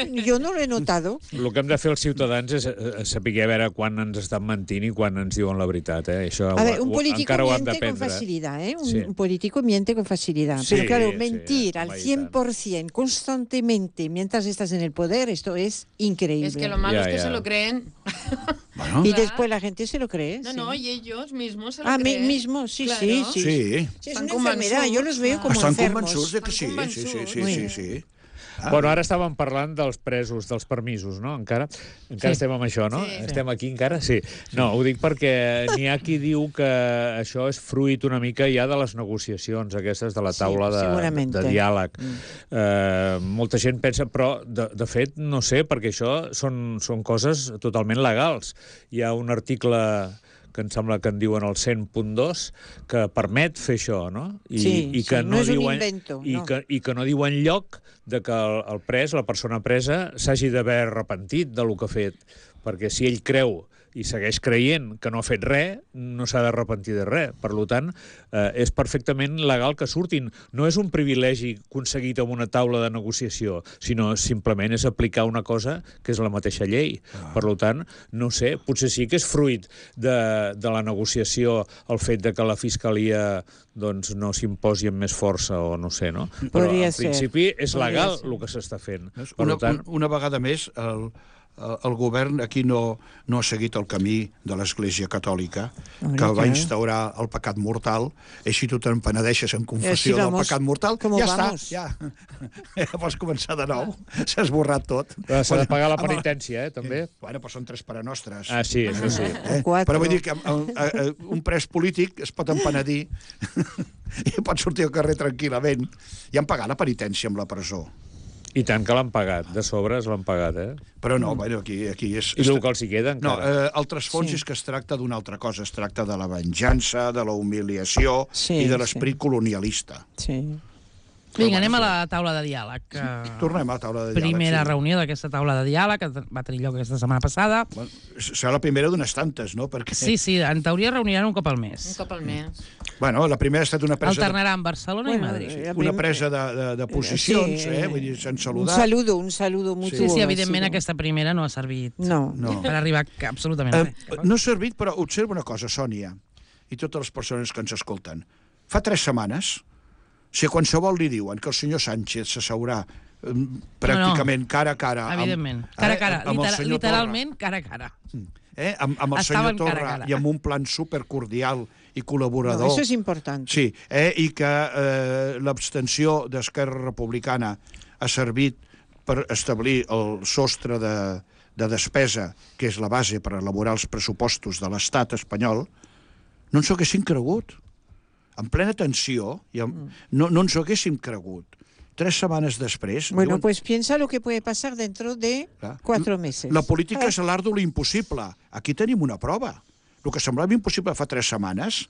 no lo he notado. El que hem de fer els ciutadans és saber a veure quan ens estan mentint i quan ens diuen la veritat. Això un político miente con facilidad, un político miente con facilidad. Sí, pero claro, mentir al 100% constantemente mientras estás en el poder, esto es increíble. Es que lo malo es que se lo creen. Bueno. Y después la gente se lo cree. No, y ellos mismos se lo creen. Mismos, sí. Es una enfermedad, yo los veo como enfermos. Estan convençuts de que sí. Bueno, ara estàvem parlant dels presos, dels permisos, no? Encara estem amb això, no? Sí. Estem aquí encara? Sí. No, ho dic perquè n'hi ha qui diu que això és fruit una mica ja de les negociacions aquestes de la taula de diàleg. Molta gent pensa, però de fet no sé, perquè això són coses totalment legals. Hi ha un article que em sembla que en diuen el 100.2, que permet fer això, no? I que no és un invento. I que no diu enlloc de que el pres, la persona presa, s'hagi d'haver arrepentit del que ha fet. Perquè si ell creu i segueix creient que no ha fet res, no s'ha d'arrepentir de res. Per tant, és perfectament legal que surtin. No és un privilegi aconseguit amb una taula de negociació, sinó simplement és aplicar una cosa que és la mateixa llei. Per tant, no sé, potser sí que és fruit de la negociació el fet de que la Fiscalia doncs, no s'imposi amb més força o no sé, no? Però en principi és legal el que s'està fent. Una vegada més, el govern aquí no ha seguit el camí de l'Església Catòlica, que va instaurar el pecat mortal, i si tu te'n penedeixes en confessió del pecat mortal, ja està, ja pots començar de nou, s'ha esborrat tot. S'ha de pagar la penitència, també? Bueno, però són 3 parenostres. Ah, sí, això sí. Però vull dir que un pres polític es pot empenedir i pot sortir al carrer tranquil·lament. I han pagat la penitència amb la presó. I tant que l'han pagat, de sobres l'han pagat, Però no, bueno, aquí és... I el que els hi queda, encara? No, altres fons és que es tracta d'una altra cosa, es tracta de la venjança, de la humiliació i de l'esperit colonialista. Sí. Vinga, anem a la taula de diàleg. Tornem a la taula de diàleg. Primera reunió d'aquesta taula de diàleg, que va tenir lloc aquesta setmana passada. Bueno, serà la primera d'unes tantes, no? Perquè... Sí, en teoria reuniran un cop al mes. Un cop al mes. Bueno, la primera ha estat una presa... Alternaran Barcelona i Madrid. Una presa de posicions, vull dir, s'han saludat. Un saludo mutuo. Sí, evidentment aquesta primera no ha servit per arribar absolutament a res. No ha servit, però observa una cosa, Sònia, i totes les persones que ens escolten. Fa 3 setmanes, si a qualsevol li diuen que el senyor Sánchez s'asseurà pràcticament cara a cara... Evidentment, cara a cara, literalment cara a cara. Amb el senyor Torra i amb un plan supercordial i col·laborador... No, això és important. Sí, i que l'abstenció d'Esquerra Republicana ha servit per establir el sostre de despesa, que és la base per elaborar els pressupostos de l'estat espanyol, no ens ho haguéssim cregut. En plena tensió, no ens ho haguéssim cregut. 3 setmanes després... Bueno, pues piensa lo que puede pasar dentro de 4 meses. La política és l'art de l'impossible. Aquí tenim una prova. El que semblava impossible fa 3 setmanes,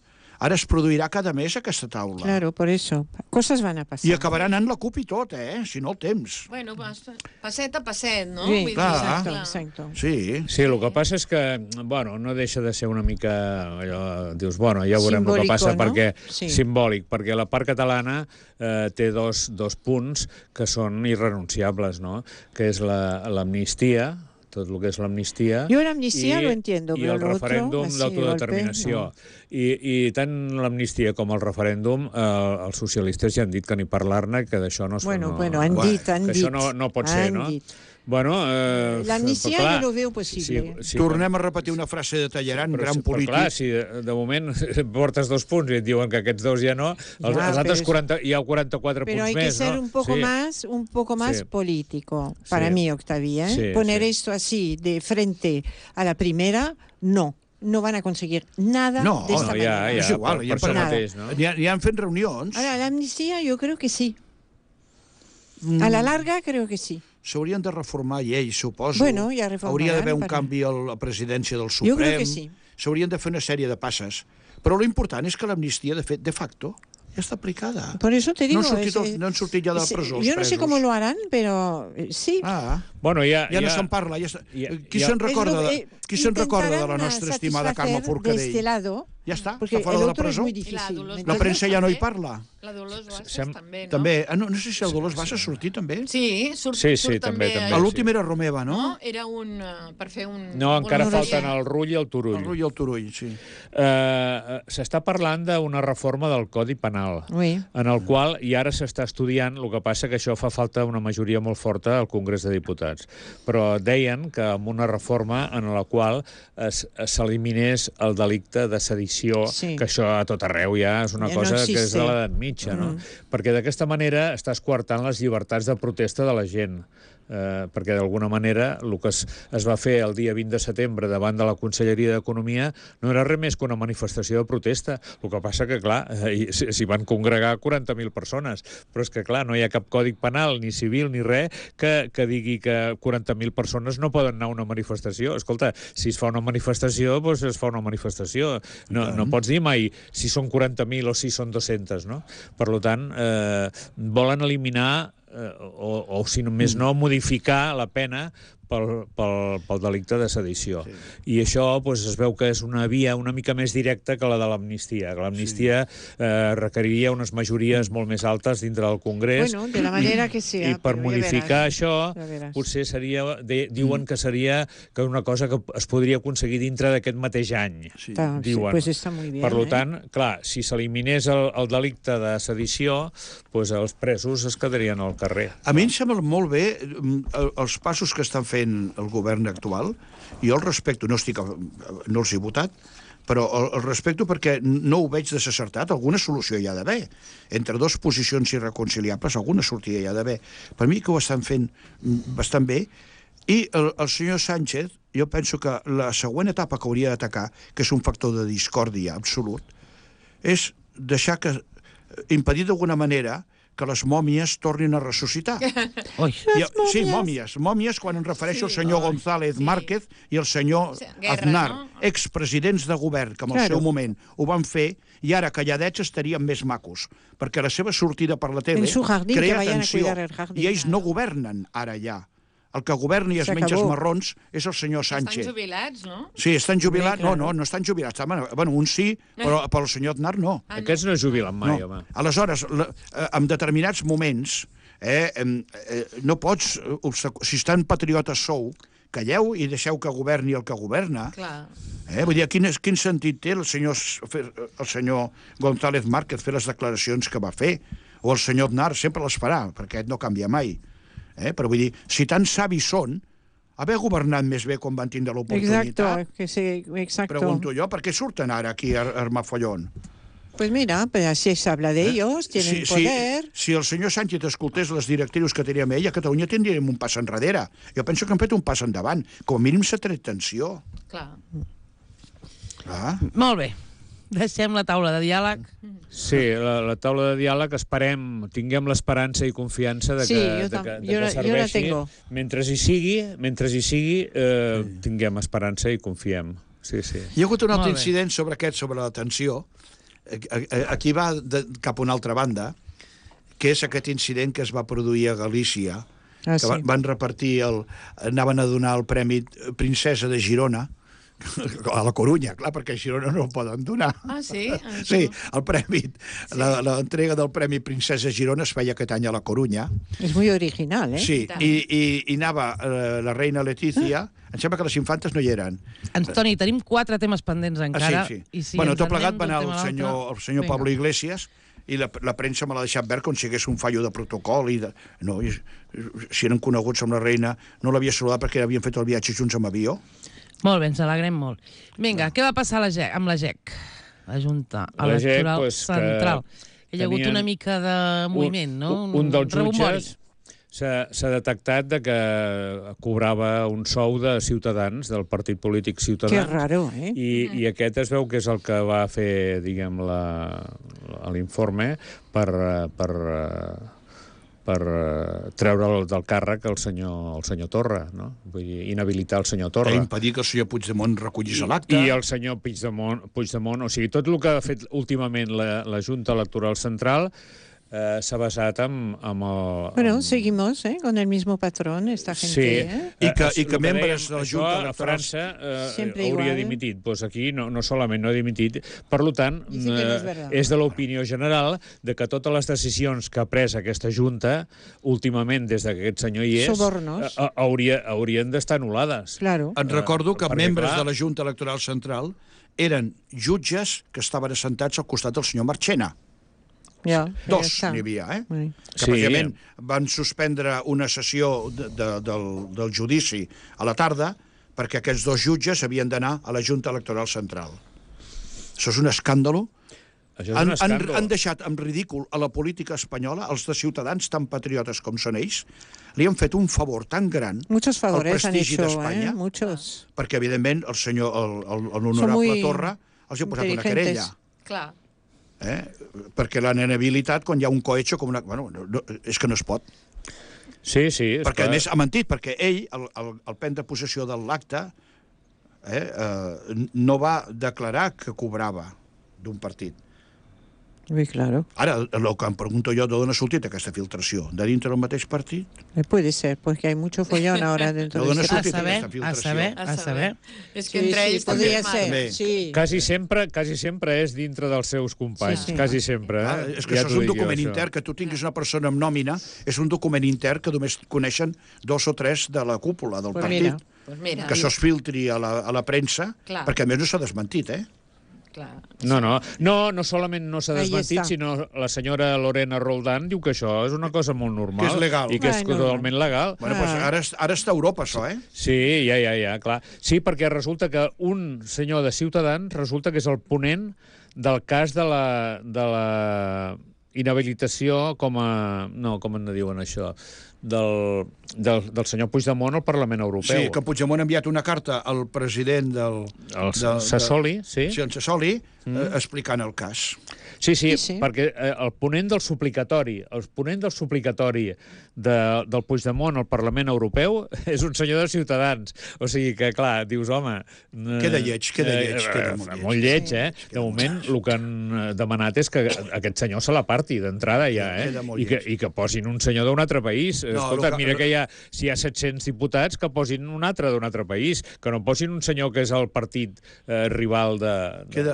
ara es produirà cada mes aquesta taula. Claro, por eso. Cosas van a pasar. I acabarà anant la CUP i tot, si no el temps. Bueno, passet a passet, no? Sí, exacto. Sí, el que passa és que, bueno, no deixa de ser una mica... Allò, dius, bueno, ja veurem el que passa, perquè simbòlic, perquè la part catalana té dos punts que són irrenunciables, no? Que és l'amnistia, tot el que és l'amnistia... Jo l'amnistia lo entiendo, però el referèndum d'autodeterminació. I tant l'amnistia com el referèndum, els socialistes ja han dit que ni parlar-ne, que d'això no... Bueno, han dit. Que això no pot ser, no? Bueno, l'amnistia jo lo veu possible. Tornem a repetir una frase de Talleyrand, gran polític. Però clar, si de moment portes 2 punts i et diuen que aquests 2 ja no, els altres 40, hi ha 44 punts més, no? Pero hay que ser un poco más político, para mí, Octavia. Poner esto así de frente a la primera, no van a conseguir nada de esta manera. És igual, ja han fet reunions. Ahora, la amnistía yo creo que sí. A la larga creo que sí. S'haurien de reformar lleis, suposo. Bueno, ja reformaran. Hauria d'haver un canvi a la presidència del Suprem. Jo crec que sí. S'haurien de fer una sèrie de passes. Però l'important és que l'amnistia, de fet, de facto, ja está aplicada. Por eso te digo... No han sortit ja de la presó. Yo no sé cómo lo harán, pero sí. Bueno, ja no se'n parla. Qui se'n recorda de la nostra estimada Carme Forcadell? De este lado, Ja està fora de la presó. La premsa ja no hi parla. La Dolors Bassas també, no? També. No sé si el Dolors Bassas sortir també. Sí, surt també. L'últim era Romeva, no? No, era per fer un... No, encara falten el Rull i el Turull. El Rull i el Turull, sí. S'està parlant d'una reforma del Codi Penal, en el qual, i ara s'està estudiant, el que passa que això fa falta una majoria molt forta al Congrés de Diputats. Però deien que amb una reforma en la qual s'eliminés el delicte de sedició, que això a tot arreu ja és una cosa que és de l'edat mitja, no? Perquè d'aquesta manera estàs coartant les llibertats de protesta de la gent. Perquè d'alguna manera el que es va fer el dia 20 de setembre davant de la Conselleria d'Economia no era res més que una manifestació de protesta. El que passa que, clar, s'hi van congregar 40.000 persones, però és que, clar, no hi ha cap codi penal, ni civil, ni res, que digui que 40.000 persones no poden anar a una manifestació. Escolta, si es fa una manifestació, doncs es fa una manifestació. No pots dir mai si són 40.000 o si són 200, no? Per tant, volen eliminar o si només no, modificar la pena pel delicte de sedició. I això es veu que és una via una mica més directa que la de l'amnistia. L'amnistia requeriria unes majories molt més altes dintre del Congrés. Bueno, de la manera que sea. I per modificar això, potser seria... Diuen que seria una cosa que es podria aconseguir dintre d'aquest mateix any. Diuen. Pues está muy bien. Per tant, clar, si s'eliminés el delicte de sedició, els presos es quedarien al carrer. A mi em sembla molt bé els passos que estan fent el govern actual. Jo el respecto, no els he votat, però el respecto perquè no ho veig desacertat. Alguna solució hi ha d'haver. Entre dues posicions irreconciliables, alguna sortida hi ha d'haver. Per mi que ho estan fent bastant bé. I el senyor Sánchez, jo penso que la següent etapa que hauria d'atacar, que és un factor de discòrdia absolut, és deixar impedir d'alguna manera que les mòmies tornin a ressuscitar. Sí, mòmies quan em refereixo al senyor González Márquez i el senyor Aznar, expresidents de govern, que en el seu moment ho van fer, i ara calladets estarien més macos, perquè la seva sortida per la tele crea tensió, i ells no governen ara ja. El que governa i es menja els marrons és el senyor Sánchez. Estan jubilats, no? Sí, estan jubilats. No estan jubilats. Bueno, un sí, però el senyor Aznar no. Aquests no es jubilen mai, home. Aleshores, en determinats moments, no pots... Si estan patriotes sou, calleu i deixeu que governi el que governa. Vull dir, quin sentit té el senyor González Márquez fer les declaracions que va fer? O el senyor Aznar sempre les farà, perquè no canvia mai. Però vull dir, si tan savis són, haver governat més bé quan van tindre l'oportunitat. Exacto. Pregunto jo, per què surten ara aquí a armar follón? Pues mira, pues así se habla de ellos, tienen poder... Si el senyor Sánchez escoltés les directrius que teníem ell, a Catalunya tindríem un pas enrere. Jo penso que han fet un pas endavant. Com a mínim s'ha tret tensió. Clar. Molt bé. Deixem la taula de diàleg. Sí, la taula de diàleg, tinguem l'esperança i confiança de que serveixi. Mentre hi sigui, tinguem esperança i confiem. Hi ha hagut un altre incident sobre la tensió. Aquí va cap a una altra banda, que és aquest incident que es va produir a Galícia, que van repartir, anaven a donar el Premi Princesa de Girona, a la Corunya, clar, perquè a Girona no el poden donar. Sí? Sí, el premi, l'entrega del Premi Princesa Girona es feia aquest any a la Corunya. És molt original, Sí, i anava la reina Letícia, em sembla que les infantes no hi eren. Antoni, tenim 4 temes pendents encara. Bueno, tot plegat va anar el senyor Pablo Iglesias, i la premsa me l'ha deixat veure com si hagués un fallo de protocol. Si eren coneguts amb la reina, no l'havia saludat perquè havien fet el viatge junts amb avió. Molt bé, ens alegrem molt. Vinga, què va passar amb la GEC? La Junta Electoral Central. Hi ha hagut una mica de moviment, no? Un dels jutges s'ha detectat que cobrava un sou de Ciutadans, del partit polític Ciutadans. Que raro, I aquest es veu que és el que va fer, diguem, l'informe per treure del càrrec el senyor Torra, no? Vull dir, inhabilitar el senyor Torra. I impedir que el senyor Puigdemont recollís l'acte. I el senyor Puigdemont, o sigui, tot el que ha fet últimament la Junta Electoral Central s'ha basat amb el... Bueno, seguimos con el mismo patrón, esta gente. Sí, i que membres de la Junta Electoral... A França hauria dimitit. Doncs aquí no solament no ha dimitit. Per tant, és de l'opinió general de que totes les decisions que ha pres aquesta Junta, últimament, des que aquest senyor hi és, haurien d'estar anul·lades. Claro. Et recordo que membres de la Junta Electoral Central eren jutges que estaven assentats al costat del senyor Marchena. Dos n'hi havia, que precisament van suspendre una sessió del judici a la tarda perquè aquests dos jutges havien d'anar a la Junta Electoral Central. Això és un escàndalo. Han deixat en ridícul a la política espanyola, els de Ciutadans tan patriotes com són ells, li han fet un favor tan gran al prestigi d'Espanya, perquè, evidentment, l'honorable Torra els ha posat una querella. Clar. Perquè l'han inhabilitat quan hi ha un cohecho com una... Bueno, és que no es pot. Sí. Perquè, a més, ha mentit, perquè ell, al prendre possessió de l'acte, no va declarar que cobrava d'un partit. Sí, claro. Ara, el que em pregunto jo, d'on ha sortit aquesta filtració? De dintre del mateix partit? Puede ser, porque hay mucho follón ahora dentro de ese partit. A saber. És que entre ells podria ser. Sí. Quasi sempre és dintre dels seus companys. Quasi sempre. És que això és un document intern, que tu tinguis una persona amb nòmina, és un document intern que només coneixen 2 o 3 de la cúpula del partit. Que això es filtri a la premsa, perquè a més no s'ha desmentit, No solament no s'ha desmentit, sinó la senyora Lorena Roldán diu que això és una cosa molt normal. Que és legal. I que és totalment legal. Bueno, doncs ara està a Europa, això, Sí, ja, clar. Sí, perquè resulta que un senyor de Ciutadans resulta que és el ponent del cas de la inhabilitació com a... No, com en diuen això? Del senyor Puigdemont al Parlament Europeu. Sí, que Puigdemont ha enviat una carta al president del Sassoli, sí. Sí, el Sassoli, explicant el cas. Sí, perquè el ponent del suplicatori del Puigdemont al Parlament Europeu és un senyor de Ciutadans. O sigui que, clar, dius, home... Queda lleig. Molt lleig, De moment, el que han demanat és que aquest senyor se l'aparti d'entrada ja, i que posin un senyor d'un altre país. Escolta, mira que si hi ha 700 diputats, que posin un altre d'un altre país, que no posin un senyor que és el partit rival de...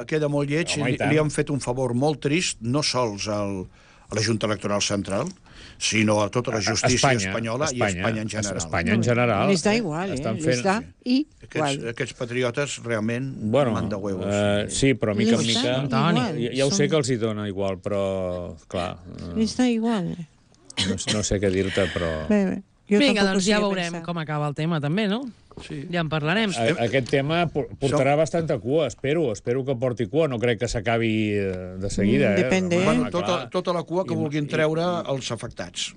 Queda molt lleig, li han fet un favor molt trist, no sols a la Junta Electoral Central, sinó a tota la justícia espanyola i a Espanya en general. Espanya en general. Les da igual, les da igual. Aquests patriotes realment manda huevos. Sí, però mica en mica... Ja ho sé que els hi dona igual, però, clar... Les da igual. No sé què dir-te, però... Vinga, doncs ja veurem com acaba el tema, també, no? Sí. Ja en parlarem. Aquest tema portarà bastanta cua, espero que porti cua. No crec que s'acabi de seguida. Depende. Bueno, tota la cua que vulguin treure els afectats.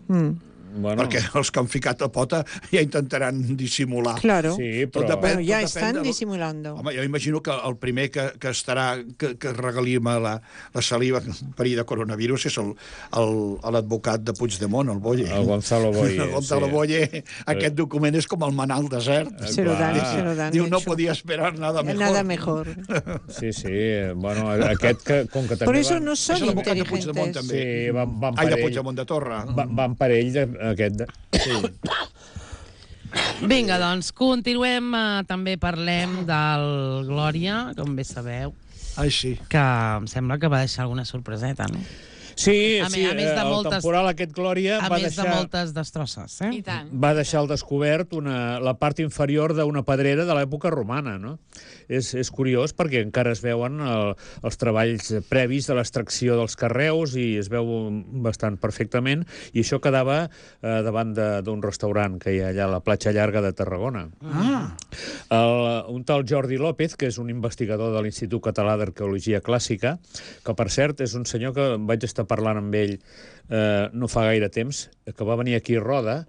Perquè els que han ficat la pota ja intentaran dissimular. Claro. Sí, però... ja estan dissimulando. Home, jo imagino que el primer que estarà, que regalima la saliva en perill de coronavirus és l'advocat de Puigdemont, el Boye. El Gonzalo Boye. El Gonzalo Boye. Aquest document és com el manar al desert. Se lo dan. Diu, no podia esperar nada mejor. Nada mejor. Sí. Bueno, aquest que, com que també... Por eso no són inteligentes. Puigdemont, també. Sí, van per ell. De Puigdemont de Torra. Van per ell aquest... Sí. Vinga, doncs, continuem. També parlem del Glòria, com bé sabeu. Sí. Que em sembla que va deixar alguna sorpreseta, no? Sí, el temporal aquest Glòria va deixar... A més de moltes destrosses, I tant. Va deixar al descobert la part inferior d'una pedrera de l'època romana, no? És curiós perquè encara es veuen els treballs previs de l'extracció dels carreus i es veu bastant perfectament, i això quedava davant d'un restaurant que hi ha allà a la platja llarga de Tarragona. Un tal Jordi López, que és un investigador de l'Institut Català d'Arqueologia Clàssica, que per cert és un senyor que vaig estar parlant amb ell no fa gaire temps, que va venir aquí a Roda,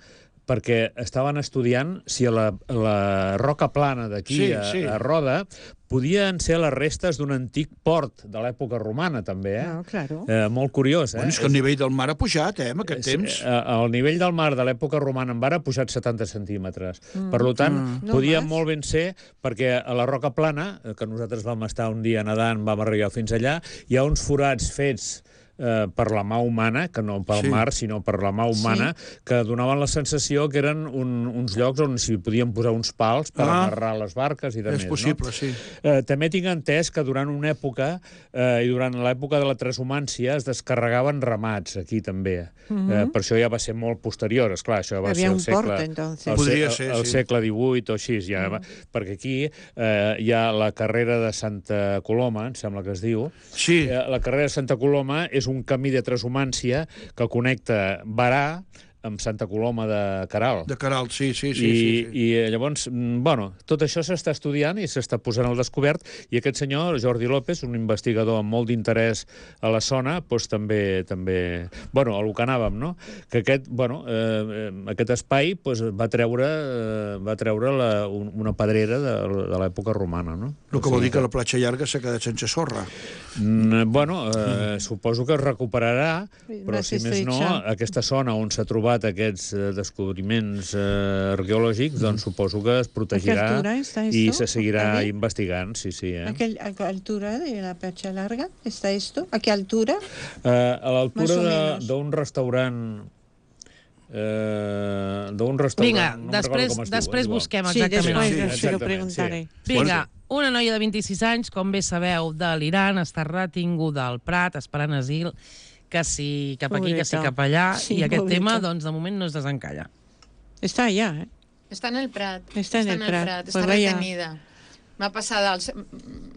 perquè estaven estudiant si a la roca plana d'aquí a Roda podien ser les restes d'un antic port de l'època romana, també, Claro. Molt curiós, Bueno, és que el nivell del mar ha pujat, en aquest temps. El nivell del mar de l'època romana en mar ha pujat 70 centímetres. Per tant, podia molt ben ser, perquè a la roca plana, que nosaltres vam estar un dia nedant, vam arribar fins allà, hi ha uns forats fets per la mà humana, que no pel mar, sinó per la mà humana, que donaven la sensació que eren uns llocs on s'hi podien posar uns pals per amarrar les barques i de més. És possible, sí. També tinc entès que durant una època, i durant l'època de la transhumància, es descarregaven ramats aquí també. Per això ja va ser molt posterior, esclar, això va ser el segle XVIII o així, perquè aquí hi ha la carrera de Santa Coloma, em sembla que es diu. Sí. La carrera de Santa Coloma és un camí de transhumància que connecta Barà amb Santa Coloma de Queralt. De Queralt, sí. I llavors, bueno, tot això s'està estudiant i s'està posant al descobert, i aquest senyor, Jordi López, un investigador amb molt d'interès a la zona, doncs també... Bueno, a lo que anàvem, no? Que aquest espai va treure una pedrera de l'època romana, no? El que vol dir que la platja llarga s'ha quedat sense sorra. Bueno, suposo que es recuperarà, però si més no, aquesta zona on s'ha trobat aquests descobriments arqueològics, doncs suposo que es protegirà i se seguirà investigant, sí. ¿A qué altura de la platja larga está esto? ¿A qué altura? A l'altura d'un restaurant... Vinga, després busquem exactament. Sí, lo preguntaré. Vinga, una noia de 26 anys, com bé sabeu, de l'Iran, està retinguda al Prat, esperant asil, que si cap aquí, que si cap allà, i aquest tema, doncs, de moment no es desencalla. Està allà, eh? Està en el Prat. Està retenida. Va passar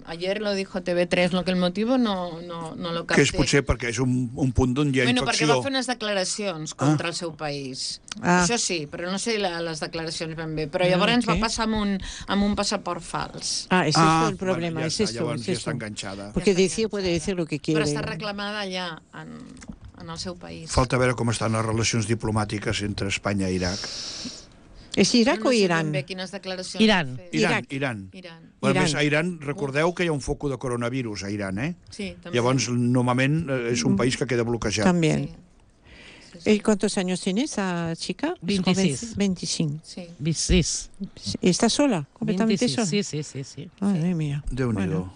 ayer lo dijo TV3, lo que el motivo no lo capté. Que és potser perquè és un punt d'on hi ha infecció. Perquè va fer unes declaracions contra el seu país. Això sí, però no sé les declaracions ben bé. Però llavors va passar amb un passaport fals. Ese es el problema. Llavors ja està enganxada. Porque puede decir lo que quiere. Però està reclamada allà, en el seu país. Falta veure com estan les relacions diplomàtiques entre Espanya i Iraq. És Iraq o Iran? Iran. A més, a Iran, recordeu que hi ha un foc de coronavirus a Iran, eh? Sí, també. Llavors, normalment, és un país que queda bloquejat. También. ¿Y cuántos años tiene esa chica? 26. 25. Sí. 26. ¿Está sola? ¿Completamente sola? Sí. Madre mía. Déu-n'hi-do.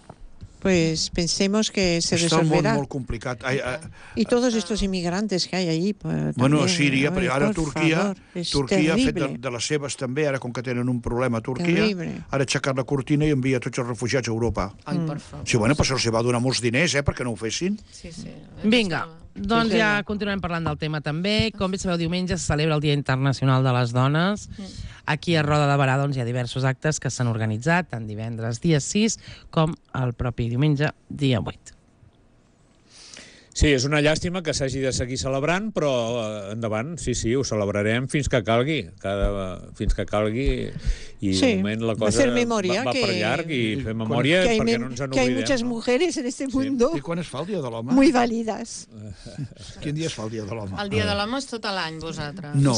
Pues pensemos que se resolverá. Está resolverá. molt complicat. Y todos estos inmigrantes que hay allí. Bueno, Síria, però ara Turquia ha fet de les seves també, ara com que tenen un problema a Turquia, ara ha aixecat la cortina i envia tots els refugiats a Europa. Ai, per favor. Sí, bueno, però se'ls va donar molts diners, perquè no ho fessin. Sí. Vinga, doncs ja continuem parlant del tema també. Com bé sabeu, diumenge se celebra el Dia Internacional de les Dones. Aquí a Roda de Barà doncs, hi ha diversos actes que s'han organitzat, tant divendres dia 6 com el propi diumenge dia 8. Sí, és una llàstima que s'hagi de seguir celebrant, però endavant, sí, ho celebrarem fins que calgui. Fins que calgui, i de moment la cosa va per llarg, i fer memòria perquè no ens en oblidem. Que hay muchas mujeres en este mundo I quan es fa el Dia de l'Home? muy válidas. Quin dia es fa el Dia de l'Home? El Dia de l'Home és tot l'any, vosaltres. No.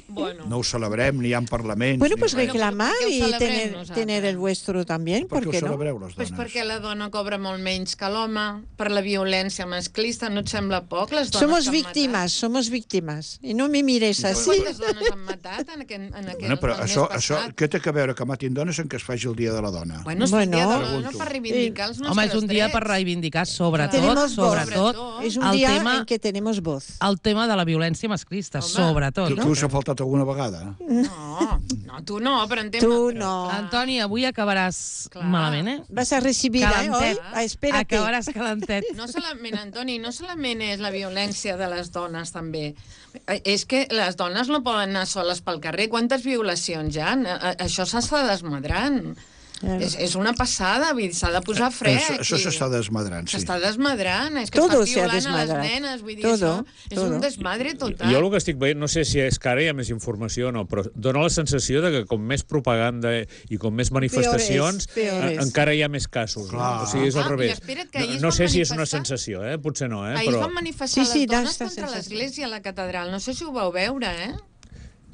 Bueno. No ho celebrem, ni hi ha parlaments. Bueno, pues reclamar y tener el vuestro también, ¿por qué no? Pues perquè la dona cobra molt menys que l'home, per la violència masclista, ¿no et sembla poc? Les dones somos víctimas. Y no me mires así. ¿Quantes dones han matat en aquest però això, què té a veure que matin dones en què es faci el Dia de la Dona? Bueno, és un dia de la dona per reivindicar els nostres drets. Home, és un dia per reivindicar sobretot és un dia en què tenemos voz. El tema de la violència masclista, sobretot. Tu us ha faltat alguna vegada? No, tu no, però en tema... Tu no. Antoni, avui acabaràs malament, eh? Vas a recibir, calentet. Espérate. Acabaràs calentet. No solament, Antoni, no solament és la violència de les dones, també. És que les dones no poden anar soles pel carrer. Quantes violacions hi ha? Això s'està desmadrant. És una passada, s'ha de posar fre. Això s'està desmadrant, sí. S'està desmadrant, és que està violant a les nenes, vull dir, això és un desmadre total. Jo el que estic veient, no sé si és que ara hi ha més informació o no, però dona la sensació de que com més propaganda i com més manifestacions, encara hi ha més casos. O sigui, és al revés. No sé si és una sensació, potser no. Ahir van manifestar les dones contra l'església a la catedral, no sé si ho vau veure,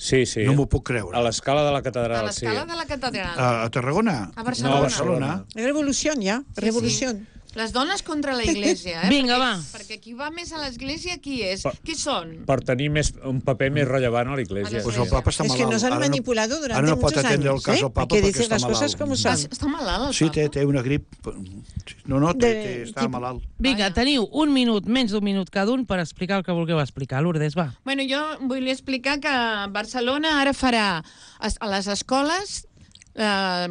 Sí. No m'ho puc creure. A l'escala de la catedral, sí. A l'escala de la catedral. A Tarragona? A Barcelona. No, a Barcelona. Revolució, ja. Revolució. Les dones contra la Iglésia, Vinga, va. Perquè qui va més a l'Església, qui és? Qui són? Per tenir un paper més rellevant a l'Església. Pues el papa està malalt. Es que nos han manipulado durante muchos años. Ara no pot atendre el cas del papa perquè està malalt. Las cosas como son. Està malalt, el papa? Sí, té una grip. No, està malalt. Vinga, teniu un minut, menys d'un minut cada un, per explicar el que vulgueu explicar. Lourdes, va. Bueno, jo vull explicar que Barcelona ara farà a les escoles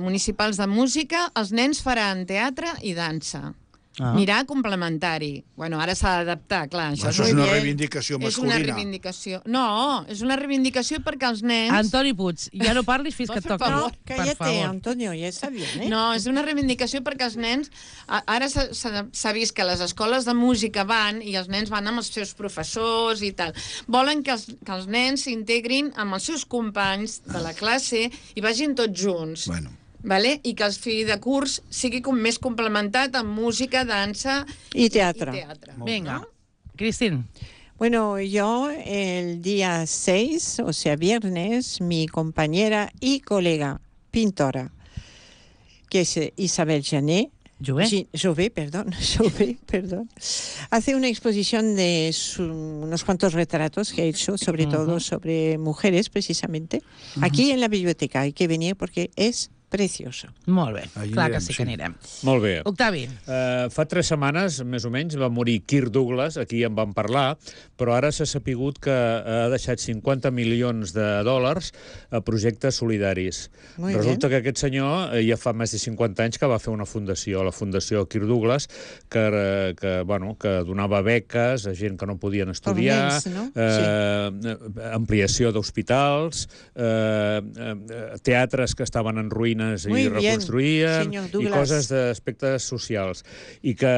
municipals de música, els nens faran teatre i dansa. Mirar complementari. Bueno, ara s'ha d'adaptar, clar. Això és una reivindicació masculina. És una reivindicació. No, és una reivindicació perquè els nens... Antoni Puig, ja no parlis fins que et toqui. No, cállate, Antonio, ja està bé, eh? No, és una reivindicació perquè els nens... Ara s'ha vist que les escoles de música van i els nens van amb els seus professors i tal. Volen que els nens s'integrin amb els seus companys de la classe i vagin tots junts. Bueno. Vale? I que el fill de curs sigui més complementat amb música, dansa y teatro. Venga, Cristín. Bueno, yo el día 6, o sea, viernes, mi compañera y colega pintora, que es Isabel Jané, Jouvet, perdón, hace una exposición de unos cuantos retratos que ha hecho, sobre todo sobre mujeres, precisamente, aquí en la biblioteca. Hay que venir porque es precioso. Molt bé, clar que sí que anirem. Molt bé. Octavi. Fa 3 setmanes, més o menys, va morir Kirk Douglas, aquí en vam parlar, però ara s'ha sapigut que ha deixat $50 milions a projectes solidaris. Resulta que aquest senyor ja fa més de 50 anys que va fer una fundació, la Fundació Kirk Douglas, que donava beques a gent que no podien estudiar, ampliació d'hospitals, teatres que estaven en ruïna i reconstruïen, i coses d'aspectes socials. I que,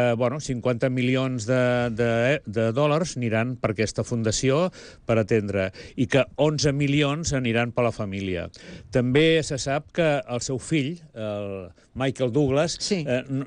50 milions de dòlars aniran per aquesta fundació per atendre, i que 11 milions aniran per la família. També se sap que el seu fill, el Michael Douglas,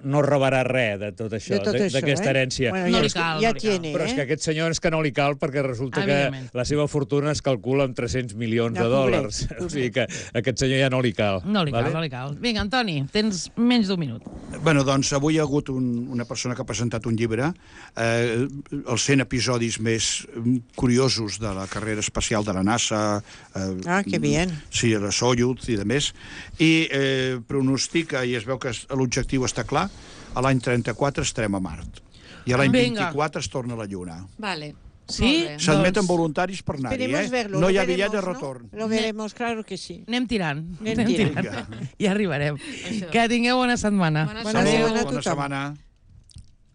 no rebrà res de tot això, d'aquesta herència. No li cal. Però és que aquest senyor és que no li cal, perquè resulta que la seva fortuna es calcula amb 300 milions de dòlars. O sigui que a aquest senyor ja no li cal. No li cal. Vinga, Antoni, tens menys d'un minut. Bé, doncs avui hi ha hagut una persona que ha presentat un llibre, els 100 episodis més curiosos de la carrera espacial de la NASA. Que bien. Sí, la Soyuz i demés. I pronostica, i es veu que l'objectiu està clar, a l'any 34 estarem a Mart. I a l'any 24 es torna a la Lluna. Vale. Sí? S'admeten voluntaris per anar-hi, No hi ha bitllet de retorn. Lo veremos, claro que sí. Anem tirant. Ja arribarem. Que tingueu bona setmana. Bona setmana a tothom.